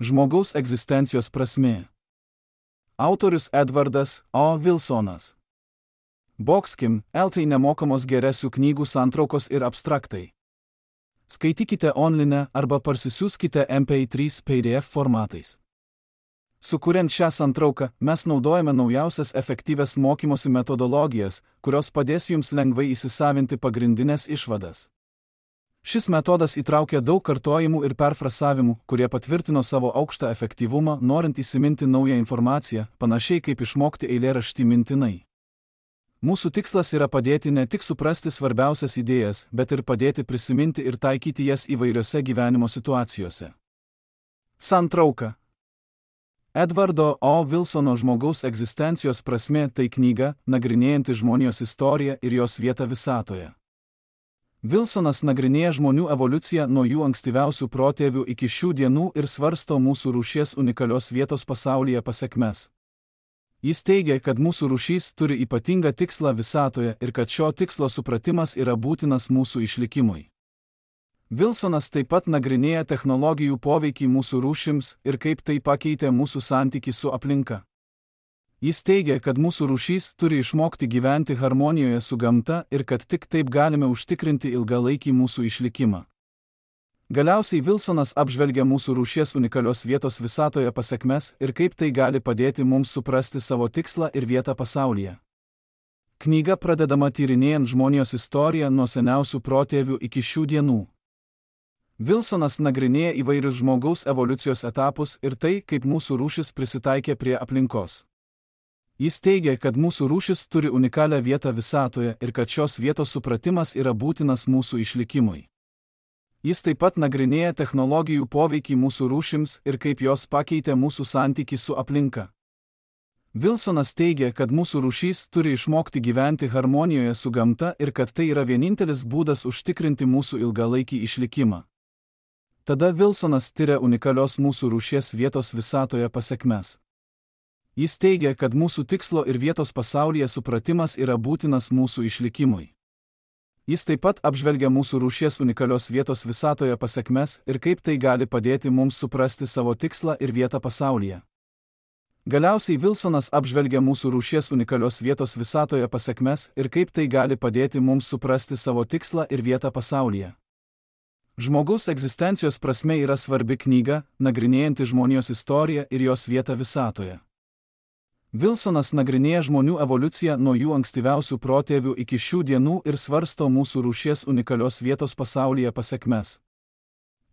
Žmogaus egzistencijos prasmė. Autorius Edvardas O. Wilsonas. Boxkim, LT nemokamos geresių knygų santraukos ir abstraktai. Skaitykite online arba parsisiųskite MP3 PDF formatais. Sukuriant šią santrauką, mes naudojame naujausias efektyvias mokymosi metodologijas, kurios padės jums lengvai įsisavinti pagrindinės išvadas. Šis metodas įtraukia daug kartojimų ir perfrasavimų, kurie patvirtino savo aukštą efektyvumą, norint įsiminti naują informaciją, panašiai kaip išmokti eilėraštį mintinai. Mūsų tikslas yra padėti ne tik suprasti svarbiausias idėjas, bet ir padėti prisiminti ir taikyti jas įvairiose gyvenimo situacijose. Santrauka. Edvardo O. Wilsono Žmogaus egzistencijos prasmė tai knyga, nagrinėjanti žmonijos istoriją ir jos vietą visatoje. Wilsonas nagrinėja žmonių evoliuciją nuo jų ankstyviausių protėvių iki šių dienų ir svarsto mūsų rūšies unikalios vietos pasaulyje pasekmes. Jis teigia, kad mūsų rūšys turi ypatingą tikslą visatoje ir kad šio tikslo supratimas yra būtinas mūsų išlikimui. Wilsonas taip pat nagrinėja technologijų poveikį mūsų rūšims ir kaip tai pakeitė mūsų santykį su aplinka. Jis teigia, kad mūsų rūšys turi išmokti gyventi harmonijoje su gamta ir kad tik taip galime užtikrinti ilgalaikį mūsų išlikimą. Galiausiai Wilsonas apžvelgia mūsų rūšies unikalios vietos visatoje pasekmes ir kaip tai gali padėti mums suprasti savo tikslą ir vietą pasaulyje. Knyga pradedama tyrinėjant žmonijos istoriją nuo seniausių protėvių iki šių dienų. Wilsonas nagrinėja įvairius žmogaus evoliucijos etapus ir tai, kaip mūsų rūšis prisitaikė prie aplinkos. Jis teigia, kad mūsų rūšis turi unikalią vietą visatoje ir kad šios vietos supratimas yra būtinas mūsų išlikimui. Jis taip pat nagrinėja technologijų poveikį mūsų rūšims ir kaip jos pakeitė mūsų santykį su aplinka. Wilsonas teigia, kad mūsų rūšys turi išmokti gyventi harmonijoje su gamta ir kad tai yra vienintelis būdas užtikrinti mūsų ilgalaikį išlikimą. Tada Wilsonas tiria unikalios mūsų rūšies vietos visatoje pasekmes. Jis teigia, kad mūsų tikslo ir vietos pasaulyje supratimas yra būtinas mūsų išlikimui. Jis taip pat apžvelgia mūsų rūšies unikalios vietos visatoje pasekmes ir kaip tai gali padėti mums suprasti savo tikslą ir vietą pasaulyje. Galiausiai Wilsonas apžvelgia mūsų rūšies unikalios vietos visatoje pasekmes ir kaip tai gali padėti mums suprasti savo tikslą ir vietą pasaulyje. Žmogaus egzistencijos prasmė yra svarbi knyga, nagrinėjanti žmonijos istoriją ir jos vietą visatoje. Wilsonas nagrinėja žmonių evoliuciją nuo jų ankstyviausių protėvių iki šių dienų ir svarsto mūsų rūšies unikalios vietos pasaulyje pasekmes.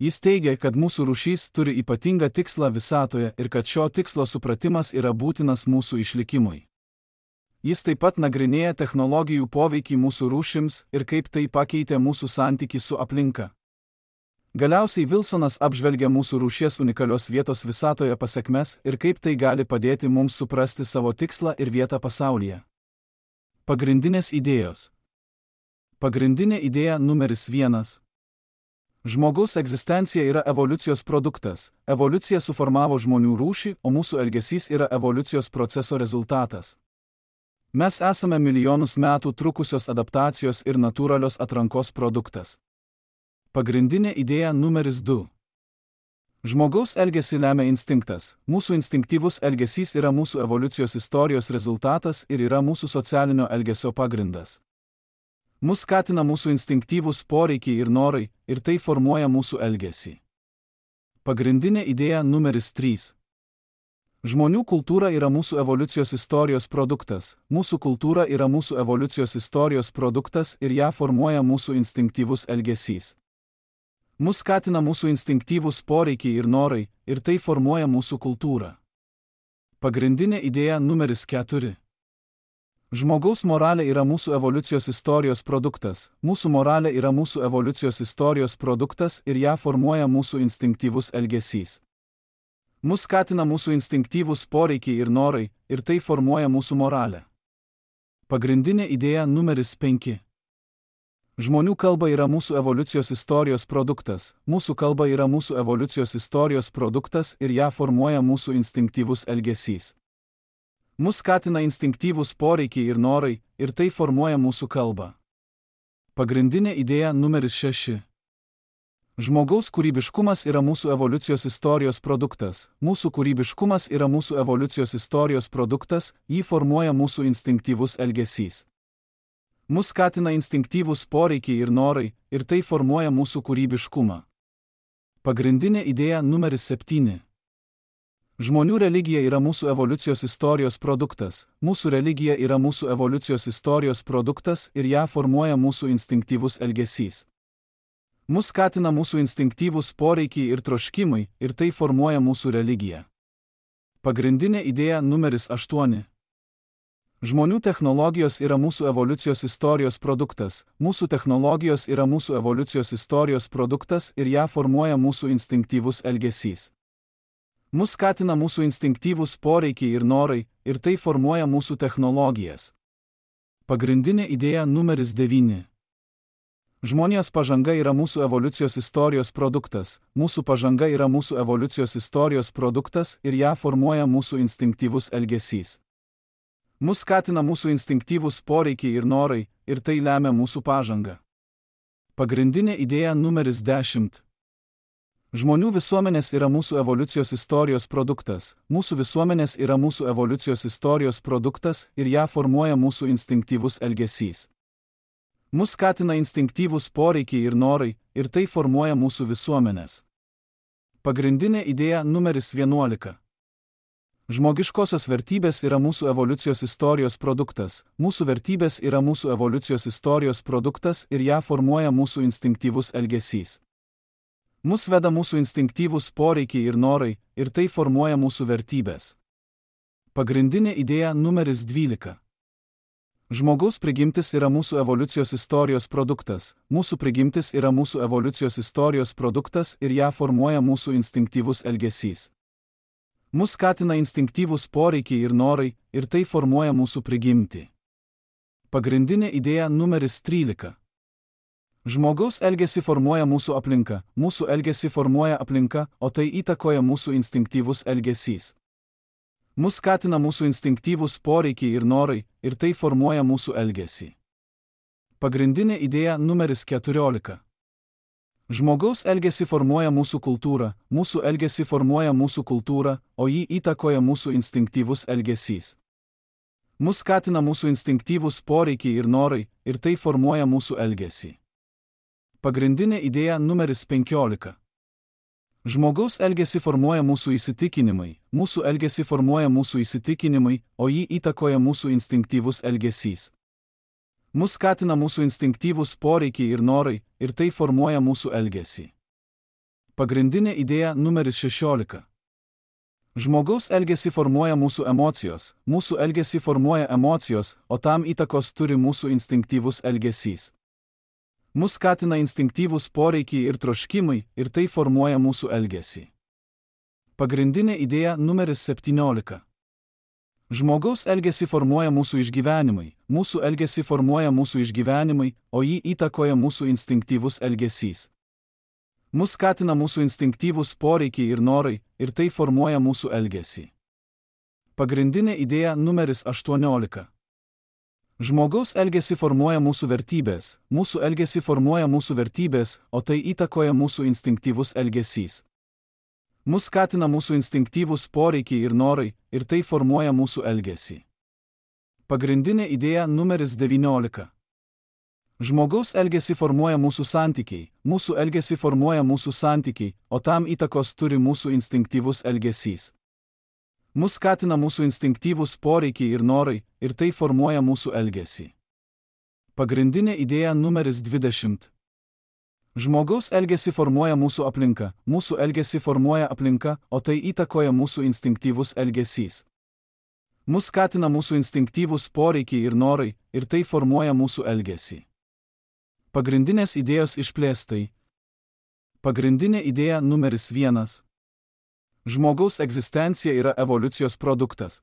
Jis teigia, kad mūsų rūšys turi ypatingą tikslą visatoje ir kad šio tikslo supratimas yra būtinas mūsų išlikimui. Jis taip pat nagrinėja technologijų poveikį mūsų rūšims ir kaip tai pakeitė mūsų santykį su aplinka. Galiausiai Wilsonas apžvelgia mūsų rūšies unikalios vietos visatoje pasekmes ir kaip tai gali padėti mums suprasti savo tikslą ir vietą pasaulyje. Pagrindinės idėjos. Pagrindinė idėja numeris 1. Žmogaus egzistencija yra evoliucijos produktas. Evoliucija suformavo žmonių rūšį, o mūsų elgesys yra evoliucijos proceso rezultatas. Mes esame milijonus metų trukusios adaptacijos ir natūralios atrankos produktas. Pagrindinė idėja numeris 2. Žmogaus elgesį lemia instinktas. Mūsų instinktyvus elgesys yra mūsų evoliucijos istorijos rezultatas ir yra mūsų socialinio elgesio pagrindas. Mus skatina mūsų instinktyvūs poreikiai ir norai, ir tai formuoja mūsų elgesį. Pagrindinė idėja numeris 3. Žmonių kultūra yra mūsų evoliucijos istorijos produktas. Mūsų kultūra yra mūsų evoliucijos istorijos produktas ir ją formuoja mūsų instinktyvus elgesys. Mus skatina mūsų instinktyvūs poreikiai ir norai, ir tai formuoja mūsų kultūrą. Pagrindinė idėja numeris 4. Žmogaus moralė yra mūsų evoliucijos istorijos produktas. Mūsų moralė yra mūsų evoliucijos istorijos produktas ir ją formuoja mūsų instinktyvus elgesys. Mus skatina mūsų instinktyvūs poreikiai ir norai, ir tai formuoja mūsų moralę. Pagrindinė idėja numeris 5. Žmonių kalba yra mūsų evoliucijos istorijos produktas. Mūsų kalba yra mūsų evoliucijos istorijos produktas ir ją formuoja mūsų instinktyvus elgesys. Mus skatina instinktyvūs poreikiai ir norai, ir tai formuoja mūsų kalbą. Pagrindinė idėja numeris 6. Žmogaus kūrybiškumas yra mūsų evoliucijos istorijos produktas. Mūsų kūrybiškumas yra mūsų evoliucijos istorijos produktas, jį formuoja mūsų instinktyvus elgesys. Mus skatina instinktyvūs poreikiai ir norai, ir tai formuoja mūsų kūrybiškumą. Pagrindinė idėja numeris 7. Žmonių religija yra mūsų evoliucijos istorijos produktas. Mūsų religija yra mūsų evoliucijos istorijos produktas ir ją formuoja mūsų instinktyvus elgesys. Mus skatina mūsų instinktyvūs poreikiai ir troškimai, ir tai formuoja mūsų religiją. Pagrindinė idėja numeris 8. Žmonių technologijos yra mūsų evoliucijos istorijos produktas. Mūsų technologijos yra mūsų evoliucijos istorijos produktas ir ją formuoja mūsų instinktyvus elgesys. Mus skatina mūsų instinktyvūs poreikiai ir norai, ir tai formuoja mūsų technologijas. Pagrindinė idėja numeris 9. Žmonijos pažanga yra mūsų evoliucijos istorijos produktas. Mūsų pažanga yra mūsų evoliucijos istorijos produktas ir ją formuoja mūsų instinktyvus elgesys. Mus skatina mūsų instinktyvūs poreikiai ir norai, ir tai lemia mūsų pažangą. Pagrindinė idėja numeris 10. Žmonių visuomenės yra mūsų evoliucijos istorijos produktas. Mūsų visuomenės yra mūsų evoliucijos istorijos produktas ir ją formuoja mūsų instinktyvus elgesys. Mus skatina instinktyvūs poreikiai ir norai, ir tai formuoja mūsų visuomenės. Pagrindinė idėja numeris 11. Žmogiškosios vertybės yra mūsų evoliucijos istorijos produktas. Mūsų vertybės yra mūsų evoliucijos istorijos produktas ir ją formuoja mūsų instinktyvus elgesys. Mus veda mūsų instinktyvūs poreikiai ir norai, ir tai formuoja mūsų vertybės. Pagrindinė idėja numeris 12. Žmogaus prigimtis yra mūsų evoliucijos istorijos produktas. Mūsų prigimtis yra mūsų evoliucijos istorijos produktas ir ją formuoja mūsų instinktyvus elgesys. Mus skatina instinktyvūs poreikiai ir norai, ir tai formuoja mūsų prigimtį. Pagrindinė idėja numeris 13. Žmogaus elgesį formuoja mūsų aplinka. Mūsų elgesį formuoja aplinka, o tai įtakoja mūsų instinktyvus elgesys. Mus skatina mūsų instinktyvūs poreikiai ir norai, ir tai formuoja mūsų elgesį. Pagrindinė idėja numeris 14. Žmogaus elgesį formuoja mūsų kultūra. Mūsų elgesį formuoja mūsų kultūra, o jį įtakoja mūsų instinktyvus elgesys. Mus skatina mūsų instinktyvūs poreikiai ir norai, ir tai formuoja mūsų elgesį. Pagrindinė idėja numeris 15. Žmogaus elgesį formuoja mūsų įsitikinimai. Mūsų elgesį formuoja mūsų įsitikinimai, o jį įtakoja mūsų instinktyvus elgesys. Mus skatina mūsų instinktyvūs poreikiai ir norai, ir tai formuoja mūsų elgesį. Pagrindinė idėja numeris 16. Žmogaus elgesį formuoja mūsų emocijos. Mūsų elgesį formuoja emocijos, o tam įtakos turi mūsų instinktyvus elgesys. Mus skatina instinktyvūs poreikiai ir troškimai, ir tai formuoja mūsų elgesį. Pagrindinė idėja numeris 17. Žmogaus elgesį formuoja mūsų išgyvenimai. Mūsų elgesį formuoja mūsų išgyvenimai, o jį įtakoja mūsų instinktyvus elgesys. Mus skatina mūsų instinktyvūs poreikiai ir norai, ir tai formuoja mūsų elgesį. Pagrindinė idėja numeris 18. Žmogaus elgesį formuoja mūsų vertybės. Mūsų elgesį formuoja mūsų vertybės, o tai įtakoja mūsų instinktyvus elgesys. Mus skatina mūsų instinktyvūs poreikiai ir norai, ir tai formuoja mūsų elgesį. Pagrindinė idėja numeris 19. Žmogaus elgesį formuoja mūsų santykiai. Mūsų elgesį formuoja mūsų santykiai, o tam įtakos turi mūsų instinktyvus elgesys. Mus skatina mūsų instinktyvūs poreikiai ir norai, ir tai formuoja mūsų elgesį. Pagrindinė idėja numeris 20. Žmogaus elgesį formuoja mūsų aplinka. Mūsų elgesį formuoja aplinka, o tai įtakoja mūsų instinktyvus elgesys. Mus skatina mūsų instinktyvūs poreikiai ir norai, ir tai formuoja mūsų elgesį. Pagrindinės idėjos išplėstai. Pagrindinė idėja numeris 1. Žmogaus egzistencija yra evoliucijos produktas.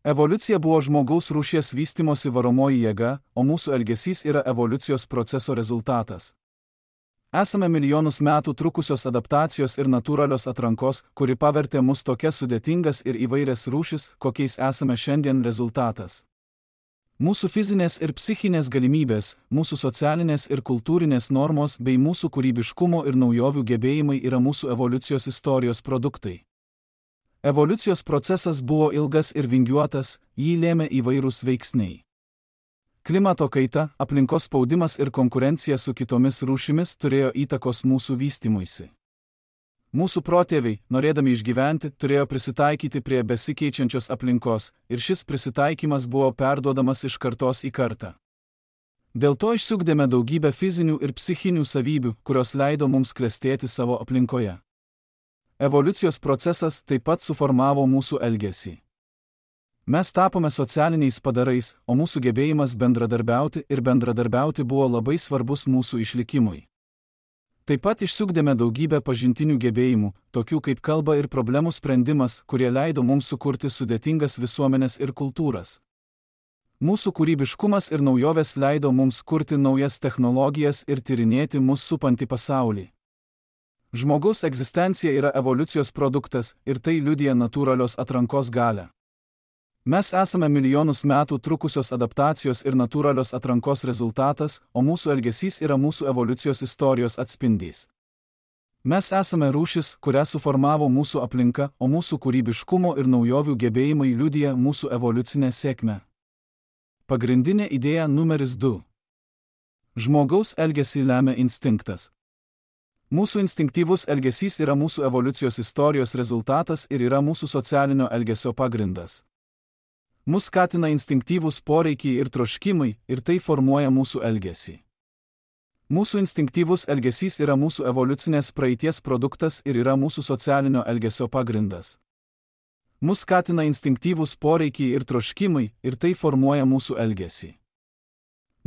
Evoliucija buvo žmogaus rūšies vystymosi varomoji jėga, o mūsų elgesys yra evoliucijos proceso rezultatas. Esame milijonus metų trukusios adaptacijos ir natūralios atrankos, kuri pavertė mus tokias sudėtingas ir įvairias rūšis, kokiais esame šiandien rezultatas. Mūsų fizinės ir psichinės galimybės, mūsų socialinės ir kultūrinės normos bei mūsų kūrybiškumo ir naujovių gebėjimai yra mūsų evoliucijos istorijos produktai. Evoliucijos procesas buvo ilgas ir vingiuotas, jį lėmė įvairūs veiksniai. Klimato kaita, aplinkos spaudimas ir konkurencija su kitomis rūšimis turėjo įtakos mūsų vystymuisi. Mūsų protėviai, norėdami išgyventi, turėjo prisitaikyti prie besikeičiančios aplinkos ir šis prisitaikymas buvo perduodamas iš kartos į kartą. Dėl to išsiugdėme daugybę fizinių ir psichinių savybių, kurios leido mums klestėti savo aplinkoje. Evoliucijos procesas taip pat suformavo mūsų elgesį. Mes tapome socialiniais padarais, o mūsų gebėjimas bendradarbiauti buvo labai svarbus mūsų išlikimui. Taip pat išsiugdėme daugybę pažintinių gebėjimų, tokių kaip kalba ir problemų sprendimas, kurie leido mums sukurti sudėtingas visuomenės ir kultūras. Mūsų kūrybiškumas ir naujovės leido mums kurti naujas technologijas ir tyrinėti mus supantį pasaulį. Žmogaus egzistencija yra evoliucijos produktas ir tai liudija natūralios atrankos galią. Mes esame milijonus metų trukusios adaptacijos ir natūralios atrankos rezultatas, o mūsų elgesys yra mūsų evoliucijos istorijos atspindys. Mes esame rūšis, kurią suformavo mūsų aplinka, o mūsų kūrybiškumo ir naujovių gebėjimai liudija mūsų evoliucinę sėkmę. Pagrindinė idėja numeris 2. Žmogaus elgesį lemia instinktas. Mūsų instinktyvus elgesys yra mūsų evoliucijos istorijos rezultatas ir yra mūsų socialinio elgesio pagrindas. Mus skatina instinktyvūs poreikiai ir troškimai, ir tai formuoja mūsų elgesį. Mūsų instinktyvus elgesys yra mūsų evoliucinės praeities produktas ir yra mūsų socialinio elgesio pagrindas. Mus skatina instinktyvūs poreikiai ir troškimai, ir tai formuoja mūsų elgesį.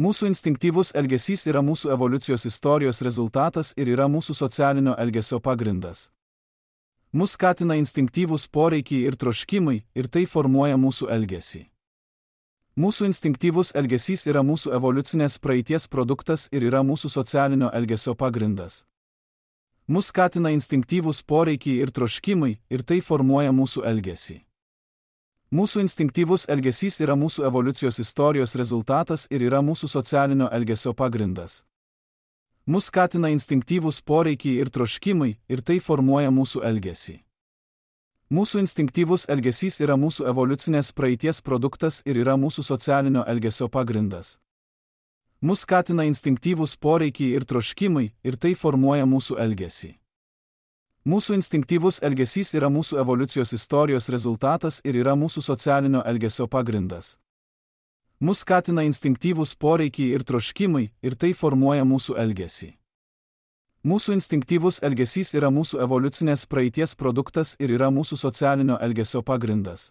Mūsų instinktyvus elgesys yra mūsų evoliucijos istorijos rezultatas ir yra mūsų socialinio elgesio pagrindas. Mus skatina instinktyvūs poreikiai ir troškimai, ir tai formuoja mūsų elgesį. Mūsų instinktyvus elgesys yra mūsų evoliucinės praeities produktas ir yra mūsų socialinio elgesio pagrindas. Mus skatina instinktyvūs poreikiai ir troškimai, ir tai formuoja mūsų elgesį. Mūsų instinktyvus elgesys yra mūsų evoliucijos istorijos rezultatas ir yra mūsų socialinio elgesio pagrindas. Mus skatina instinktyvūs poreikiai ir troškimai, ir tai formuoja mūsų elgesį. Mūsų instinktyvus elgesys yra mūsų evoliucinės praeities produktas ir yra mūsų socialinio elgesio pagrindas. Mus skatina instinktyvūs poreikiai ir troškimai, ir tai formuoja mūsų elgesį. Mūsų instinktyvus elgesys yra mūsų evoliucijos istorijos rezultatas ir yra mūsų socialinio elgesio pagrindas. Mus skatina instinktyvūs poreikiai ir troškimai, ir tai formuoja mūsų elgesį. Mūsų instinktyvus elgesys yra mūsų evoliucinės praeities produktas ir yra mūsų socialinio elgesio pagrindas.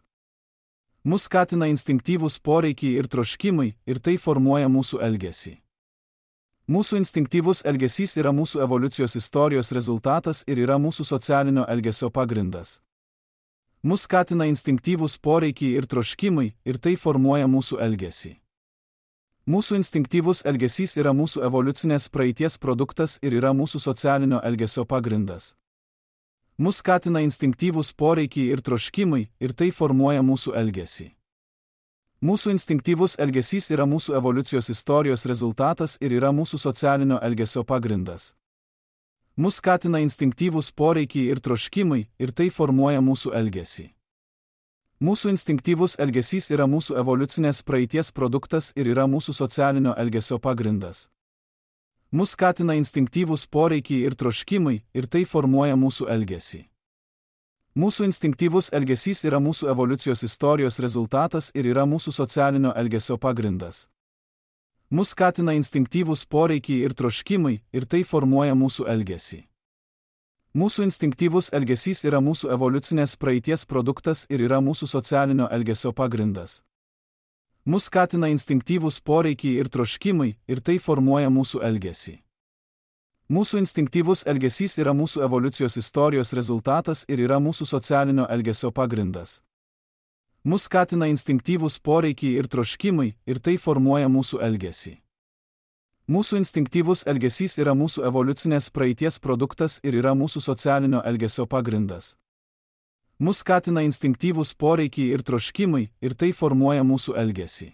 Mus skatina instinktyvūs poreikiai ir troškimai, ir tai formuoja mūsų elgesį. Mūsų instinktyvus elgesys yra mūsų evoliucijos istorijos rezultatas ir yra mūsų socialinio elgesio pagrindas. Mus skatina instinktyvūs poreikiai ir troškimai, ir tai formuoja mūsų elgesį. Mūsų instinktyvus elgesys yra mūsų evoliucinės praeities produktas ir yra mūsų socialinio elgesio pagrindas. Mus skatina instinktyvūs poreikiai ir troškimai, ir tai formuoja mūsų elgesį. Mūsų instinktyvus elgesys yra mūsų evoliucijos istorijos rezultatas ir yra mūsų socialinio elgesio pagrindas. Mus skatina instinktyvūs poreikiai ir troškimai, ir tai formuoja mūsų elgesį. Mūsų instinktyvus elgesys yra mūsų evoliucinės praeities produktas ir yra mūsų socialinio elgesio pagrindas. Mus skatina instinktyvūs poreikiai ir troškimai, ir tai formuoja mūsų elgesį. Mūsų instinktyvus elgesys yra mūsų evoliucijos istorijos rezultatas ir yra mūsų socialinio elgesio pagrindas. Mus skatina instinktyvūs poreikiai ir troškimai, ir tai formuoja mūsų elgesį. Mūsų instinktyvus elgesys yra mūsų evoliucinės praeities produktas ir yra mūsų socialinio elgesio pagrindas. Mus skatina instinktyvūs poreikiai ir troškimai, ir tai formuoja mūsų elgesį. Mūsų instinktyvus elgesys yra mūsų evoliucijos istorijos rezultatas ir yra mūsų socialinio elgesio pagrindas. Mus skatina instinktyvūs poreikiai ir troškimai, ir tai formuoja mūsų elgesį. Mūsų instinktyvus elgesys yra mūsų evoliucinės praeities produktas ir yra mūsų socialinio elgesio pagrindas. Mus skatina instinktyvūs poreikiai ir troškimai, ir tai formuoja mūsų elgesį.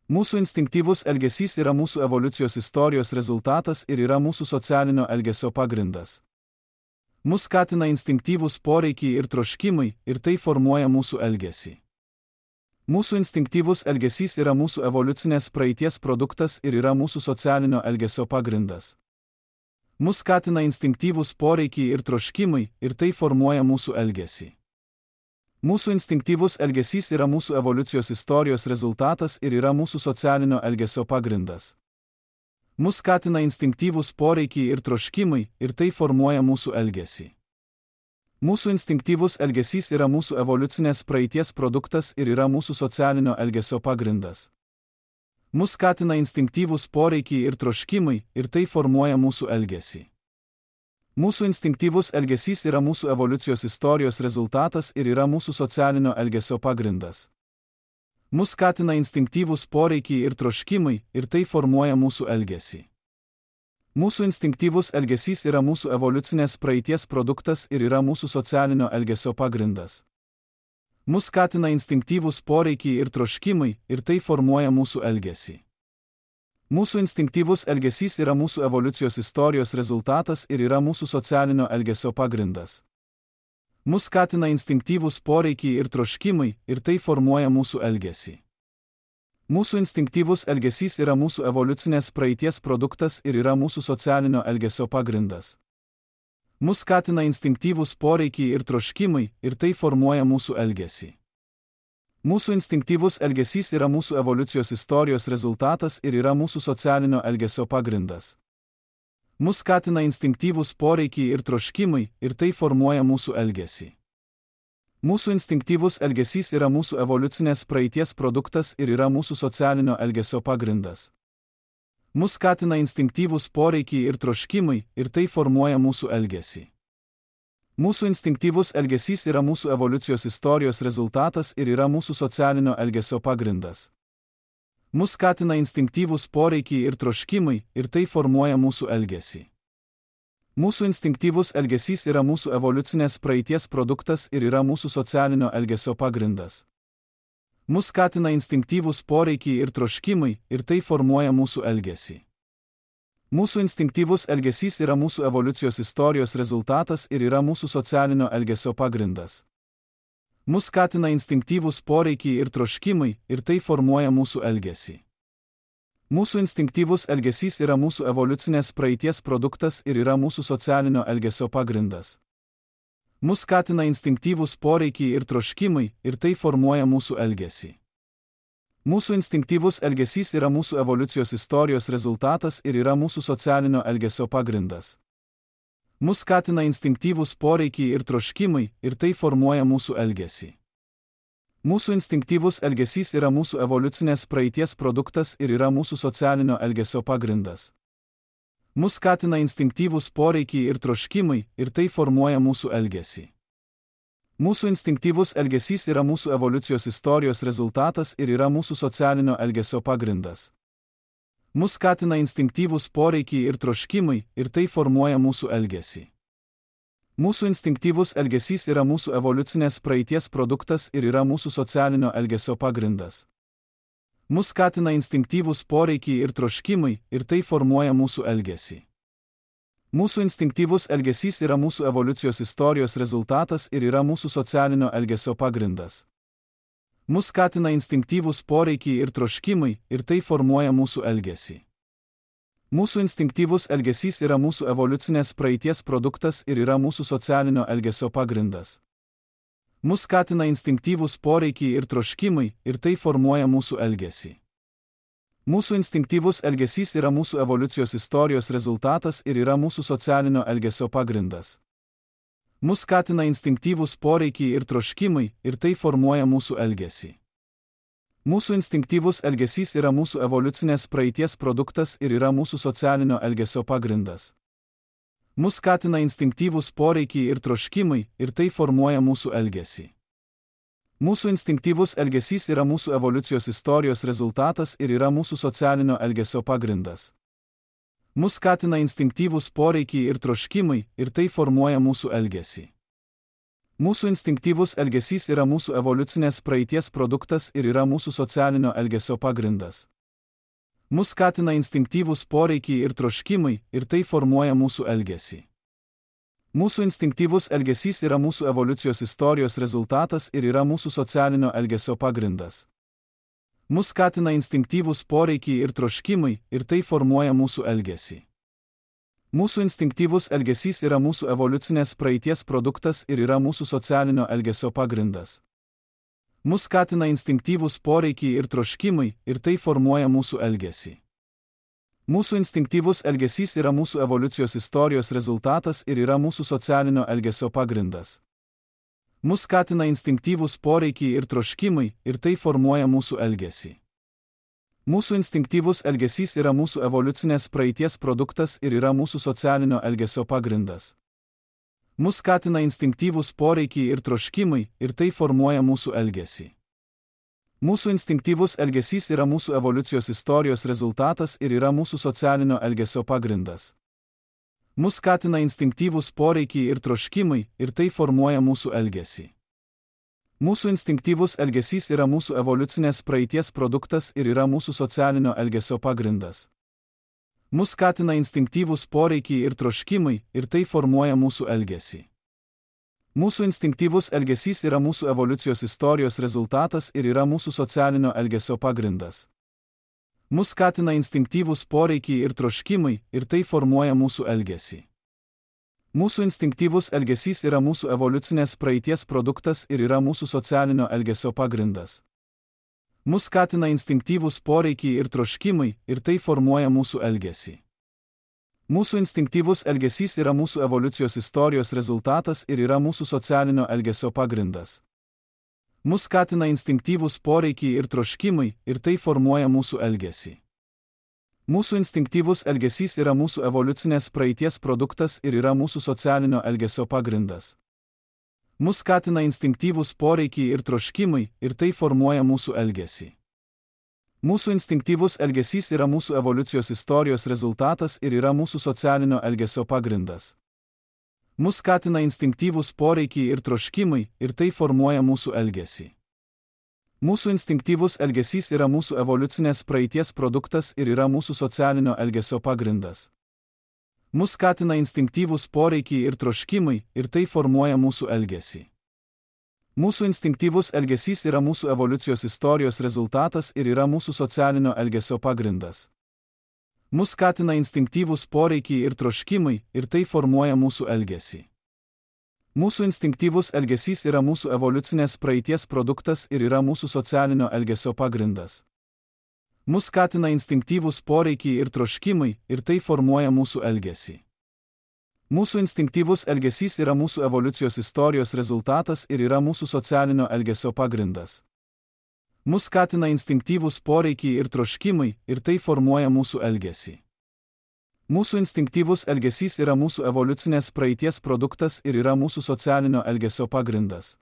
Mūsų instinktyvus elgesys yra mūsų evoliucijos istorijos rezultatas ir yra mūsų socialinio elgesio pagrindas. Mus skatina instinktyvūs poreikiai ir troškimai ir tai formuoja mūsų elgesį. Mūsų instinktyvus elgesys yra mūsų evoliucinės praeities produktas ir yra mūsų socialinio elgesio pagrindas. Mus skatina instinktyvūs poreikiai ir troškimai ir tai formuoja mūsų elgesį. Mūsų instinktyvus elgesys yra mūsų evoliucijos istorijos rezultatas ir yra mūsų socialinio elgesio pagrindas. Mus skatina instinktyvūs poreikiai ir troškimai ir tai formuoja mūsų elgesį. Mūsų instinktyvus elgesys yra mūsų evoliucinės praeities produktas ir yra mūsų socialinio elgesio pagrindas. Mus skatina instinktyvūs poreikiai ir troškimai ir tai formuoja mūsų elgesį. Mūsų instinktyvus elgesys yra mūsų evoliucijos istorijos rezultatas ir yra mūsų socialinio elgesio pagrindas. Mus skatina instinktyvūs poreikiai ir troškimai ir tai formuoja mūsų elgesį. Mūsų instinktyvus elgesys yra mūsų evoliucinės praeities produktas ir yra mūsų socialinio elgesio pagrindas. Mus skatina instinktyvūs poreikiai ir troškimai ir tai formuoja mūsų elgesį. Mūsų instinktyvus elgesys yra mūsų evoliucijos istorijos rezultatas ir yra mūsų socialinio elgesio pagrindas. Mus skatina instinktyvūs poreikiai ir troškimai ir tai formuoja mūsų elgesį. Mūsų instinktyvus elgesys yra mūsų evoliucinės praeities produktas ir yra mūsų socialinio elgesio pagrindas. Mus skatina instinktyvūs poreikiai ir troškimai ir tai formuoja mūsų elgesį. Mūsų instinktyvus elgesys yra mūsų evoliucijos istorijos rezultatas ir yra mūsų socialinio elgesio pagrindas. Mus skatina instinktyvūs poreikiai ir troškimai ir tai formuoja mūsų elgesį. Mūsų instinktyvus elgesys yra mūsų evoliucinės praeities produktas ir yra mūsų socialinio elgesio pagrindas. Mus skatina instinktyvūs poreikiai ir troškimai ir tai formuoja mūsų elgesį. Mūsų instinktyvus elgesys yra mūsų evoliucijos istorijos rezultatas ir yra mūsų socialinio elgesio pagrindas. Mus skatina instinktyvūs poreikiai ir troškimai ir tai formuoja mūsų elgesį. Mūsų instinktyvus elgesys yra mūsų evoliucinės praeities produktas ir yra mūsų socialinio elgesio pagrindas. Mus skatina instinktyvūs poreikiai ir troškimai ir tai formuoja mūsų elgesį. Mūsų instinktyvus elgesys yra mūsų evoliucijos istorijos rezultatas ir yra mūsų socialinio elgesio pagrindas. Mus skatina instinktyvūs poreikiai ir troškimai ir tai formuoja mūsų elgesį. Mūsų instinktyvus elgesys yra mūsų evoliucinės praeities produktas ir yra mūsų socialinio elgesio pagrindas. Mus skatina instinktyvūs poreikiai ir troškimai ir tai formuoja mūsų elgesį. Mūsų instinktyvus elgesys yra mūsų evoliucijos istorijos rezultatas ir yra mūsų socialinio elgesio pagrindas. Mus skatina instinktyvūs poreikiai ir troškimai ir tai formuoja mūsų elgesį. Mūsų instinktyvus elgesys yra mūsų evoliucinės praeities produktas ir yra mūsų socialinio elgesio pagrindas. Mus skatina instinktyvūs poreikiai ir troškimai ir tai formuoja mūsų elgesį. Mūsų instinktyvus elgesys yra mūsų evoliucijos istorijos rezultatas ir yra mūsų socialinio elgesio pagrindas. Mus skatina instinktyvūs poreikiai ir troškimai ir tai formuoja mūsų elgesį. Mūsų instinktyvus elgesys yra mūsų evoliucinės praeities produktas ir yra mūsų socialinio elgesio pagrindas. Mus skatina instinktyvūs poreikiai ir troškimai ir tai formuoja mūsų elgesį. Mūsų instinktyvus elgesys yra mūsų evoliucijos istorijos rezultatas ir yra mūsų socialinio elgesio pagrindas. Mus skatina instinktyvūs poreikiai ir troškimai ir tai formuoja mūsų elgesį. Mūsų instinktyvus elgesys yra mūsų evoliucinės praeities produktas ir yra mūsų socialinio elgesio pagrindas. Mus skatina instinktyvūs poreikiai ir troškimai ir tai formuoja mūsų elgesį. Mūsų instinktyvus elgesys yra mūsų evoliucijos istorijos rezultatas ir yra mūsų socialinio elgesio pagrindas. Mus skatina instinktyvūs poreikiai ir troškimai ir tai formuoja mūsų elgesį. Mūsų instinktyvus elgesys yra mūsų evoliucinės praeities produktas ir yra mūsų socialinio elgesio pagrindas. Mus skatina instinktyvūs poreikiai ir troškimai ir tai formuoja mūsų elgesį. Mūsų instinktyvus elgesys yra mūsų evoliucijos istorijos rezultatas ir yra mūsų socialinio elgesio pagrindas. Mus skatina instinktyvūs poreikiai ir troškimai ir tai formuoja mūsų elgesį. Mūsų instinktyvus elgesys yra mūsų evoliucinės praeities produktas ir yra mūsų socialinio elgesio pagrindas. Mus skatina instinktyvūs poreikiai ir troškimai, ir tai formuoja mūsų elgesį. Mūsų instinktyvus elgesys yra mūsų evoliucijos istorijos rezultatas ir yra mūsų socialinio elgesio pagrindas. Mus skatina instinktyvūs poreikiai ir troškimai, ir tai formuoja mūsų elgesį. Mūsų instinktyvus elgesys yra mūsų evoliucinės praeities produktas ir yra mūsų socialinio elgesio pagrindas. Mus skatina instinktyvūs poreikiai ir troškimai, ir tai formuoja mūsų elgesį. Mūsų instinktyvus elgesys yra mūsų evoliucijos istorijos rezultatas ir yra mūsų socialinio elgesio pagrindas. Mus skatina instinktyvūs poreikiai ir troškimai, ir tai formuoja mūsų elgesį. Mūsų instinktyvus elgesys yra mūsų evoliucinės praeities produktas ir yra mūsų socialinio elgesio pagrindas. Mus skatina instinktyvūs poreikiai ir troškimai, ir tai formuoja mūsų elgesį. Mūsų instinktyvus elgesys yra mūsų evoliucijos istorijos rezultatas ir yra mūsų socialinio elgesio pagrindas. Mus skatina instinktyvūs poreikiai ir troškimai, ir tai formuoja mūsų elgesį. Mūsų instinktyvus elgesys yra mūsų evoliucinės praeities produktas ir yra mūsų socialinio elgesio pagrindas. Mus skatina instinktyvūs poreikiai ir troškimai, ir tai formuoja mūsų elgesį. Mūsų instinktyvus elgesys yra mūsų evoliucijos istorijos rezultatas ir yra mūsų socialinio elgesio pagrindas. Mus skatina instinktyvūs poreikiai ir troškimai, ir tai formuoja mūsų elgesį. Mūsų instinktyvus elgesys yra mūsų evoliucinės praeities produktas ir yra mūsų socialinio elgesio pagrindas. Mus skatina instinktyvūs poreikiai ir troškimai, ir tai formuoja mūsų elgesį. Mūsų instinktyvus elgesys yra mūsų evoliucijos istorijos rezultatas ir yra mūsų socialinio elgesio pagrindas. Mus skatina instinktyvūs poreikiai ir troškimai, ir tai formuoja mūsų elgesį. Mūsų instinktyvus elgesys yra mūsų evoliucinės praeities produktas ir yra mūsų socialinio elgesio pagrindas. Mus skatina instinktyvūs poreikiai ir troškimai, ir tai formuoja mūsų elgesį. Mūsų instinktyvus elgesys yra mūsų evoliucijos istorijos rezultatas ir yra mūsų socialinio elgesio pagrindas. Mus skatina instinktyvūs poreikiai ir troškimai, ir tai formuoja mūsų elgesį. Mūsų instinktyvus elgesys yra mūsų evoliucinės praeities produktas ir yra mūsų socialinio elgesio pagrindas. Mus skatina instinktyvūs poreikiai ir troškimai, ir tai formuoja mūsų elgesį. Mūsų instinktyvus elgesys yra mūsų evoliucijos istorijos rezultatas ir yra mūsų socialinio elgesio pagrindas. Mus skatina instinktyvūs poreikiai ir troškimai, ir tai formuoja mūsų elgesį. Mūsų instinktyvus elgesys yra mūsų evoliucinės praeities produktas ir yra mūsų socialinio elgesio pagrindas. Mus skatina instinktyvūs poreikiai ir troškimai, ir tai formuoja mūsų elgesį. Mūsų instinktyvus elgesys yra mūsų evoliucijos istorijos rezultatas ir yra mūsų socialinio elgesio pagrindas. Mus skatina instinktyvūs poreikiai ir troškimai, ir tai formuoja mūsų elgesį. Mūsų instinktyvus elgesys yra mūsų evoliucinės praeities produktas ir yra mūsų socialinio elgesio pagrindas.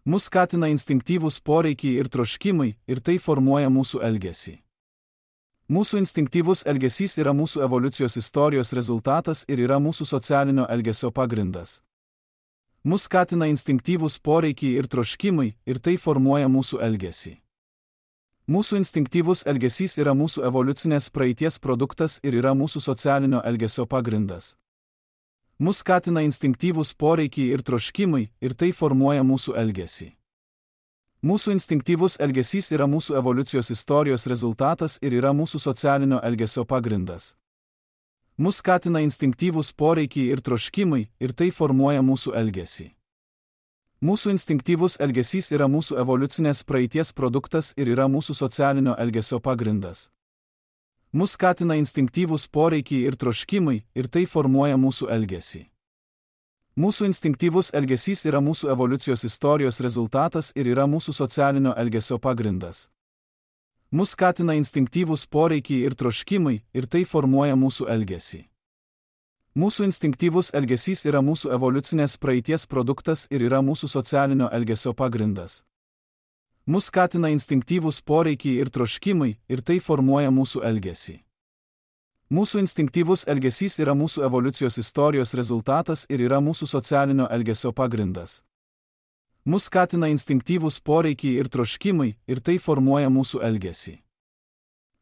Mus skatina instinktyvūs poreikiai ir troškimai, ir tai formuoja mūsų elgesį. Mūsų instinktyvus elgesys yra mūsų evoliucijos istorijos rezultatas ir yra mūsų socialinio elgesio pagrindas. Mus skatina instinktyvūs poreikiai ir troškimai, ir tai formuoja mūsų elgesį. Mūsų instinktyvus elgesys yra mūsų evoliucinės praeities produktas ir yra mūsų socialinio elgesio pagrindas. Mus skatina instinktyvūs poreikiai ir troškimai, ir tai formuoja mūsų elgesį. Mūsų instinktyvus elgesys yra mūsų evoliucijos istorijos rezultatas ir yra mūsų socialinio elgesio pagrindas. Mus skatina instinktyvūs poreikiai ir troškimai, ir tai formuoja mūsų elgesį. Mūsų instinktyvus elgesys yra mūsų evoliucinės praeities produktas ir yra mūsų socialinio elgesio pagrindas. Mus skatina instinktyvūs poreikiai ir troškimai, ir tai formuoja mūsų elgesį. Mūsų instinktyvus elgesys yra mūsų evoliucijos istorijos rezultatas ir yra mūsų socialinio elgesio pagrindas. Mus skatina instinktyvūs poreikiai ir troškimai, ir tai formuoja mūsų elgesį. Mūsų instinktyvus elgesys yra mūsų evoliucinės praeities produktas ir yra mūsų socialinio elgesio pagrindas. Mus skatina instinktyvūs poreikiai ir troškimai, ir tai formuoja mūsų elgesį. Mūsų instinktyvus elgesys yra mūsų evoliucijos istorijos rezultatas ir yra mūsų socialinio elgesio pagrindas. Mus skatina instinktyvūs poreikiai ir troškimai, ir tai formuoja mūsų elgesį.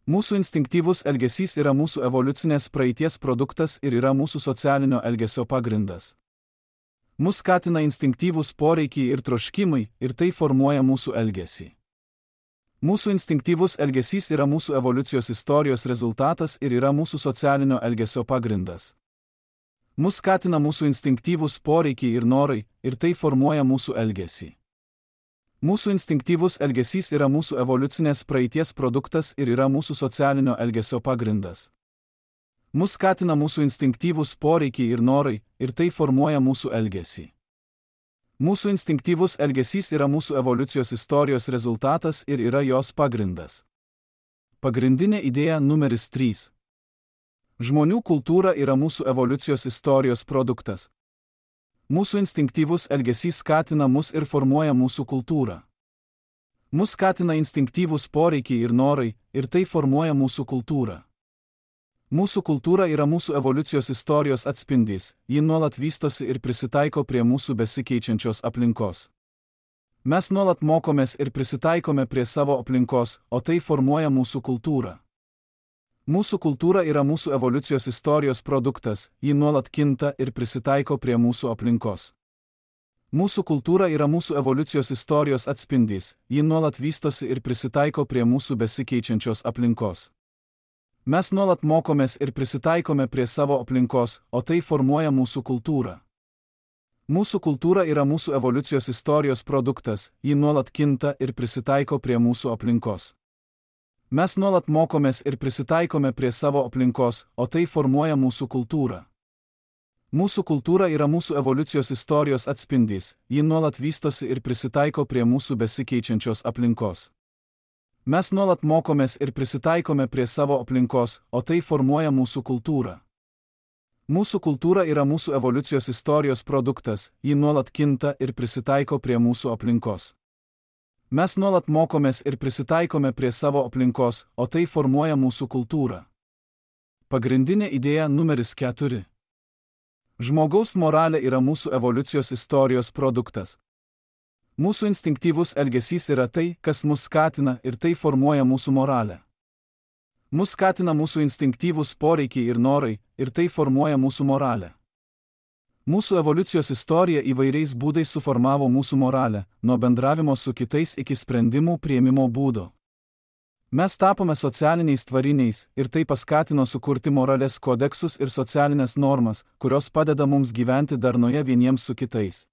Mūsų instinktyvus elgesys yra mūsų evoliucinės praeities produktas ir yra mūsų socialinio elgesio pagrindas. Mus skatina instinktyvūs poreikiai ir troškimai ir tai formuoja mūsų elgesį. Mūsų instinktyvus elgesys yra mūsų evoliucijos istorijos rezultatas ir yra mūsų socialinio elgesio pagrindas. Mus skatina mūsų instinktyvūs poreikiai ir norai ir tai formuoja mūsų elgesį. Mūsų instinktyvus elgesys yra mūsų evoliucinės praeities produktas ir yra mūsų socialinio elgesio pagrindas. Mus skatina mūsų instinktyvūs poreikiai ir norai ir tai formuoja mūsų elgesį. Mūsų instinktyvus elgesys yra mūsų evoliucijos istorijos rezultatas ir yra jos pagrindas. Pagrindinė idėja numeris 3. Žmonių kultūra yra mūsų evoliucijos istorijos produktas. Mūsų instinktyvus elgesys skatina mus ir formuoja mūsų kultūrą. Mus skatina instinktyvūs poreikiai ir norai ir tai formuoja mūsų kultūrą. Mūsų kultūra yra mūsų evoliucijos istorijos atspindys, ji nuolat vystosi ir prisitaiko prie mūsų besikeičiančios aplinkos. Mes nuolat mokomės ir prisitaikome prie savo aplinkos, o tai formuoja mūsų kultūrą. Mūsų kultūra yra mūsų evoliucijos istorijos produktas, ji nuolat kinta ir prisitaiko prie mūsų aplinkos. Mūsų kultūra yra mūsų evoliucijos istorijos atspindys, ji nuolat vystosi ir prisitaiko prie mūsų besikeičiančios aplinkos. Mes nuolat mokomės ir prisitaikome prie savo aplinkos, o tai formuoja mūsų kultūrą. Mūsų kultūra yra mūsų evoliucijos istorijos produktas, ji nuolat kinta ir prisitaiko prie mūsų aplinkos. Mes nuolat mokomės ir prisitaikome prie savo aplinkos, o tai formuoja mūsų kultūrą. Mūsų kultūra yra mūsų evoliucijos istorijos atspindys, ji nuolat vystosi ir prisitaiko prie mūsų besikeičiančios aplinkos. Mes nuolat mokomės ir prisitaikome prie savo aplinkos, o tai formuoja mūsų kultūrą. Mūsų kultūra yra mūsų evoliucijos istorijos produktas, ji nuolat kinta ir prisitaiko prie mūsų aplinkos. Mes nuolat mokomės ir prisitaikome prie savo aplinkos, o tai formuoja mūsų kultūrą. Pagrindinė idėja numeris 4. Žmogaus moralė yra mūsų evoliucijos istorijos produktas. Mūsų instinktyvus elgesys yra tai, kas mus skatina ir tai formuoja mūsų moralę. Mus skatina mūsų instinktyvūs poreikiai ir norai ir tai formuoja mūsų moralę. Mūsų evoliucijos istorija įvairiais būdais suformavo mūsų moralę, nuo bendravimo su kitais iki sprendimų priėmimo būdo. Mes tapome socialiniais tvariniais ir tai paskatino sukurti moralės kodeksus ir socialinės normas, kurios padeda mums gyventi darnoje vieniems su kitais.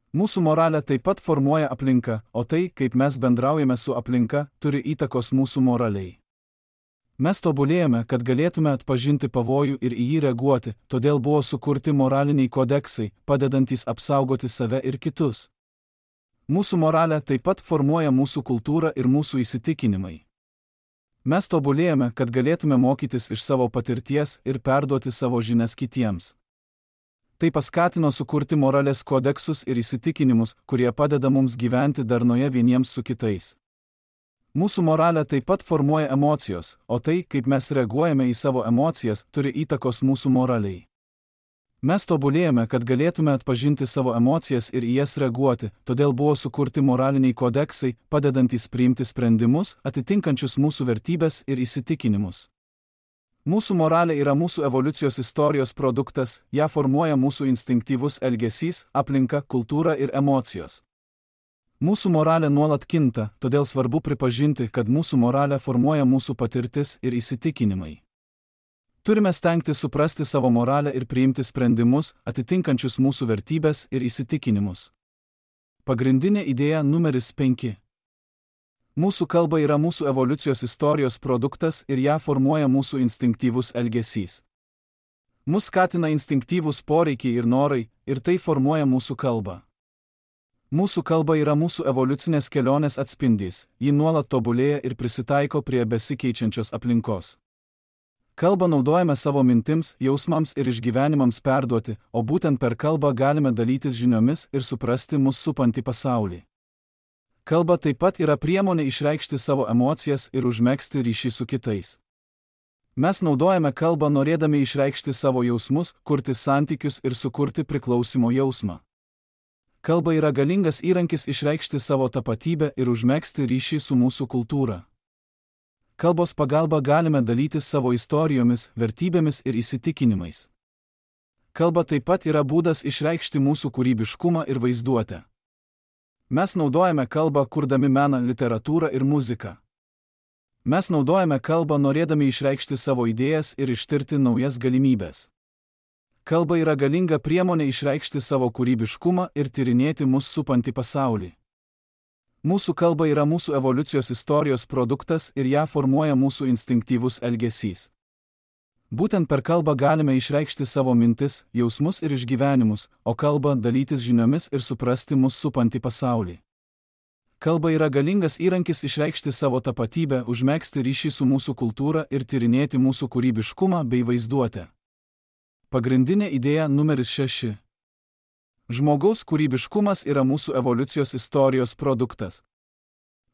Mūsų moralę taip pat formuoja aplinka, o tai, kaip mes bendraujame su aplinka, turi įtakos mūsų moraliai. Mes tobulėjame, kad galėtume atpažinti pavojų ir į jį reaguoti, todėl buvo sukurti moraliniai kodeksai, padedantys apsaugoti save ir kitus. Mūsų moralė taip pat formuoja mūsų kultūrą ir mūsų įsitikinimai. Mes tobulėjame, kad galėtume mokytis iš savo patirties ir perduoti savo žinias kitiems. Tai paskatino sukurti moralės kodeksus ir įsitikinimus, kurie padeda mums gyventi darnoje vieniems su kitais. Mūsų moralę taip pat formuoja emocijos, o tai, kaip mes reaguojame į savo emocijas, turi įtakos mūsų moraliai. Mes tobulėjame, kad galėtume atpažinti savo emocijas ir į jas reaguoti, todėl buvo sukurti moraliniai kodeksai, padedantys priimti sprendimus, atitinkančius mūsų vertybes ir įsitikinimus. Mūsų moralė yra mūsų evoliucijos istorijos produktas, ją formuoja mūsų instinktyvus elgesys, aplinka, kultūra ir emocijos. Mūsų moralė nuolat kinta, todėl svarbu pripažinti, kad mūsų moralę formuoja mūsų patirtis ir įsitikinimai. Turime stengtis suprasti savo moralę ir priimti sprendimus, atitinkančius mūsų vertybes ir įsitikinimus. Pagrindinė idėja numeris 5. Mūsų kalba yra mūsų evoliucijos istorijos produktas ir ją formuoja mūsų instinktyvus elgesys. Mus skatina instinktyvūs poreikiai ir norai, ir tai formuoja mūsų kalbą. Mūsų kalba yra mūsų evoliucinės kelionės atspindys, ji nuolat tobulėja ir prisitaiko prie besikeičiančios aplinkos. Kalbą naudojame savo mintims, jausmams ir išgyvenimams perduoti, o būtent per kalbą galime dalytis žiniomis ir suprasti mus supantį pasaulį. Kalba taip pat yra priemonė išreikšti savo emocijas ir užmegzti ryšį su kitais. Mes naudojame kalbą norėdami išreikšti savo jausmus, kurti santykius ir sukurti priklausimo jausmą. Kalba yra galingas įrankis išreikšti savo tapatybę ir užmegzti ryšį su mūsų kultūra. Kalbos pagalba galime dalytis savo istorijomis, vertybėmis ir įsitikinimais. Kalba taip pat yra būdas išreikšti mūsų kūrybiškumą ir vaizduotę. Mes naudojame kalbą kurdami meną, literatūrą ir muziką. Mes naudojame kalbą norėdami išreikšti savo idėjas ir ištirti naujas galimybės. Kalba yra galinga priemonė išreikšti savo kūrybiškumą ir tyrinėti mus supantį pasaulį. Mūsų kalba yra mūsų evoliucijos istorijos produktas ir ją formuoja mūsų instinktyvus elgesys. Būtent per kalbą galime išreikšti savo mintis, jausmus ir išgyvenimus, o kalba dalytis žiniomis ir suprasti mus supantį pasaulį. Kalba yra galingas įrankis išreikšti savo tapatybę, užmegzti ryšį su mūsų kultūra ir tyrinėti mūsų kūrybiškumą bei vaizduotę. Pagrindinė idėja numeris 6. Žmogaus kūrybiškumas yra mūsų evoliucijos istorijos produktas.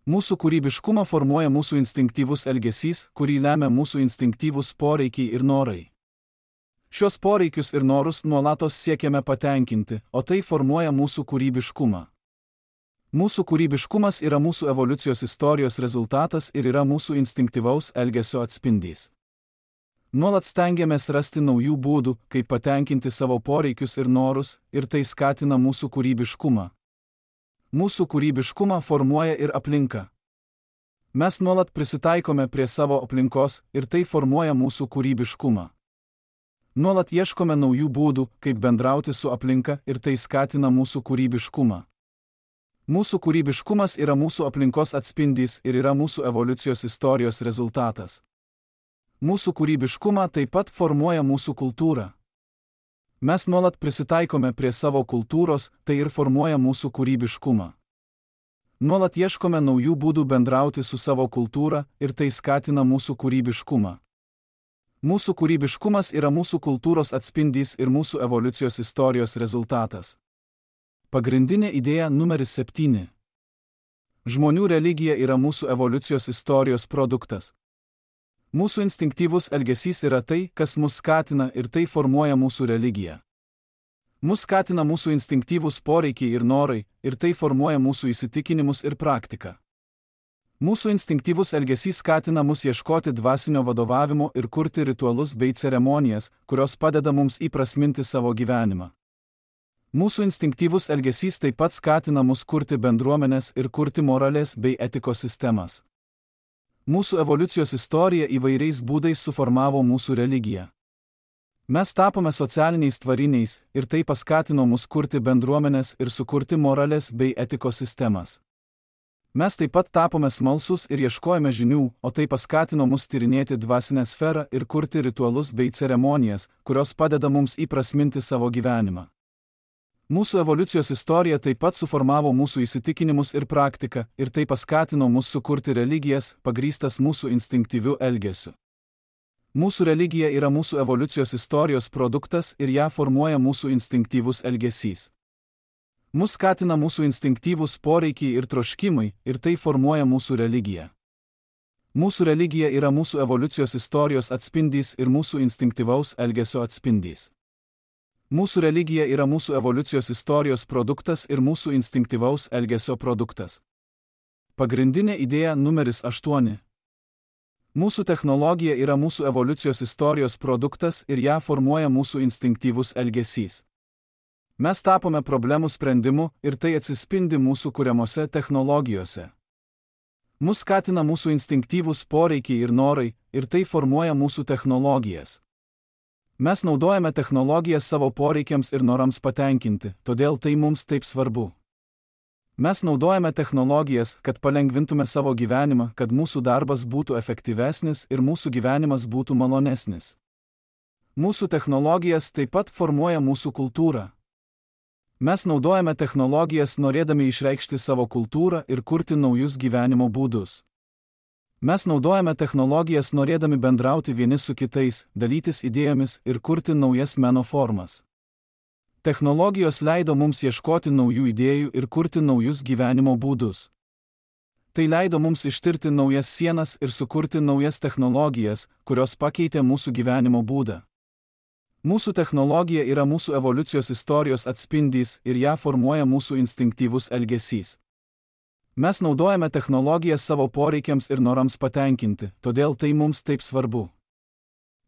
Mūsų kūrybiškumą formuoja mūsų instinktyvus elgesys, kurį lemia mūsų instinktyvūs poreikiai ir norai. Šios poreikius ir norus nuolatos siekiame patenkinti, o tai formuoja mūsų kūrybiškumą. Mūsų kūrybiškumas yra mūsų evoliucijos istorijos rezultatas ir yra mūsų instinktyvaus elgesio atspindys. Nuolat stengiamės rasti naujų būdų, kaip patenkinti savo poreikius ir norus, ir tai skatina mūsų kūrybiškumą. Mūsų kūrybiškumą formuoja ir aplinka. Mes nuolat prisitaikome prie savo aplinkos ir tai formuoja mūsų kūrybiškumą. Nuolat ieškome naujų būdų, kaip bendrauti su aplinka ir tai skatina mūsų kūrybiškumą. Mūsų kūrybiškumas yra mūsų aplinkos atspindys ir yra mūsų evoliucijos istorijos rezultatas. Mūsų kūrybiškumą taip pat formuoja mūsų kultūra. Mes nuolat prisitaikome prie savo kultūros, tai ir formuoja mūsų kūrybiškumą. Nuolat ieškome naujų būdų bendrauti su savo kultūra ir tai skatina mūsų kūrybiškumą. Mūsų kūrybiškumas yra mūsų kultūros atspindys ir mūsų evoliucijos istorijos rezultatas. Pagrindinė idėja numeris 7. Žmonių religija yra mūsų evoliucijos istorijos produktas. Mūsų instinktyvus elgesys yra tai, kas mus skatina ir tai formuoja mūsų religiją. Mus skatina mūsų instinktyvūs poreikiai ir norai, ir tai formuoja mūsų įsitikinimus ir praktiką. Mūsų instinktyvus elgesys skatina mus ieškoti dvasinio vadovavimo ir kurti ritualus bei ceremonijas, kurios padeda mums įprasminti savo gyvenimą. Mūsų instinktyvus elgesys taip pat skatina mus kurti bendruomenes ir kurti moralės bei etikos sistemas. Mūsų evoliucijos istorija įvairiais būdais suformavo mūsų religiją. Mes tapome socialiniais tvariniais ir tai paskatino mus kurti bendruomenes ir sukurti moralės bei etikos sistemas. Mes taip pat tapome smalsūs ir ieškojame žinių, o tai paskatino mus tyrinėti dvasinę sferą ir kurti ritualus bei ceremonijas, kurios padeda mums įprasminti savo gyvenimą. Mūsų evoliucijos istorija taip pat suformavo mūsų įsitikinimus ir praktiką, ir tai paskatino mus sukurti religijas, pagrįstas mūsų instinktyviu elgesiu. Mūsų religija yra mūsų evoliucijos istorijos produktas ir ją formuoja mūsų instinktyvus elgesys. Mus skatina mūsų instinktyvūs poreikiai ir troškimai, ir tai formuoja mūsų religiją. Mūsų religija yra mūsų evoliucijos istorijos atspindys ir mūsų instinktyvaus elgesio atspindys. Mūsų religija yra mūsų evoliucijos istorijos produktas ir mūsų instinktyvaus elgesio produktas. Pagrindinė idėja numeris 8. Mūsų technologija yra mūsų evoliucijos istorijos produktas ir ją formuoja mūsų instinktyvus elgesys. Mes tapome problemų sprendimu ir tai atsispindi mūsų kuriamose technologijose. Mus skatina mūsų instinktyvūs poreikiai ir norai, ir tai formuoja mūsų technologijas. Mes naudojame technologijas savo poreikiams ir norams patenkinti, todėl tai mums taip svarbu. Mes naudojame technologijas, kad palengvintume savo gyvenimą, kad mūsų darbas būtų efektyvesnis ir mūsų gyvenimas būtų malonesnis. Mūsų technologijas taip pat formuoja mūsų kultūrą. Mes naudojame technologijas norėdami išreikšti savo kultūrą ir kurti naujus gyvenimo būdus. Mes naudojame technologijas norėdami bendrauti vieni su kitais, dalytis idėjomis ir kurti naujas meno formas. Technologijos leido mums ieškoti naujų idėjų ir kurti naujus gyvenimo būdus. Tai leido mums ištirti naujas sienas ir sukurti naujas technologijas, kurios pakeitė mūsų gyvenimo būdą. Mūsų technologija yra mūsų evoliucijos istorijos atspindys ir ją formuoja mūsų instinktyvus elgesys. Mes naudojame technologijas savo poreikiams ir norams patenkinti, todėl tai mums taip svarbu.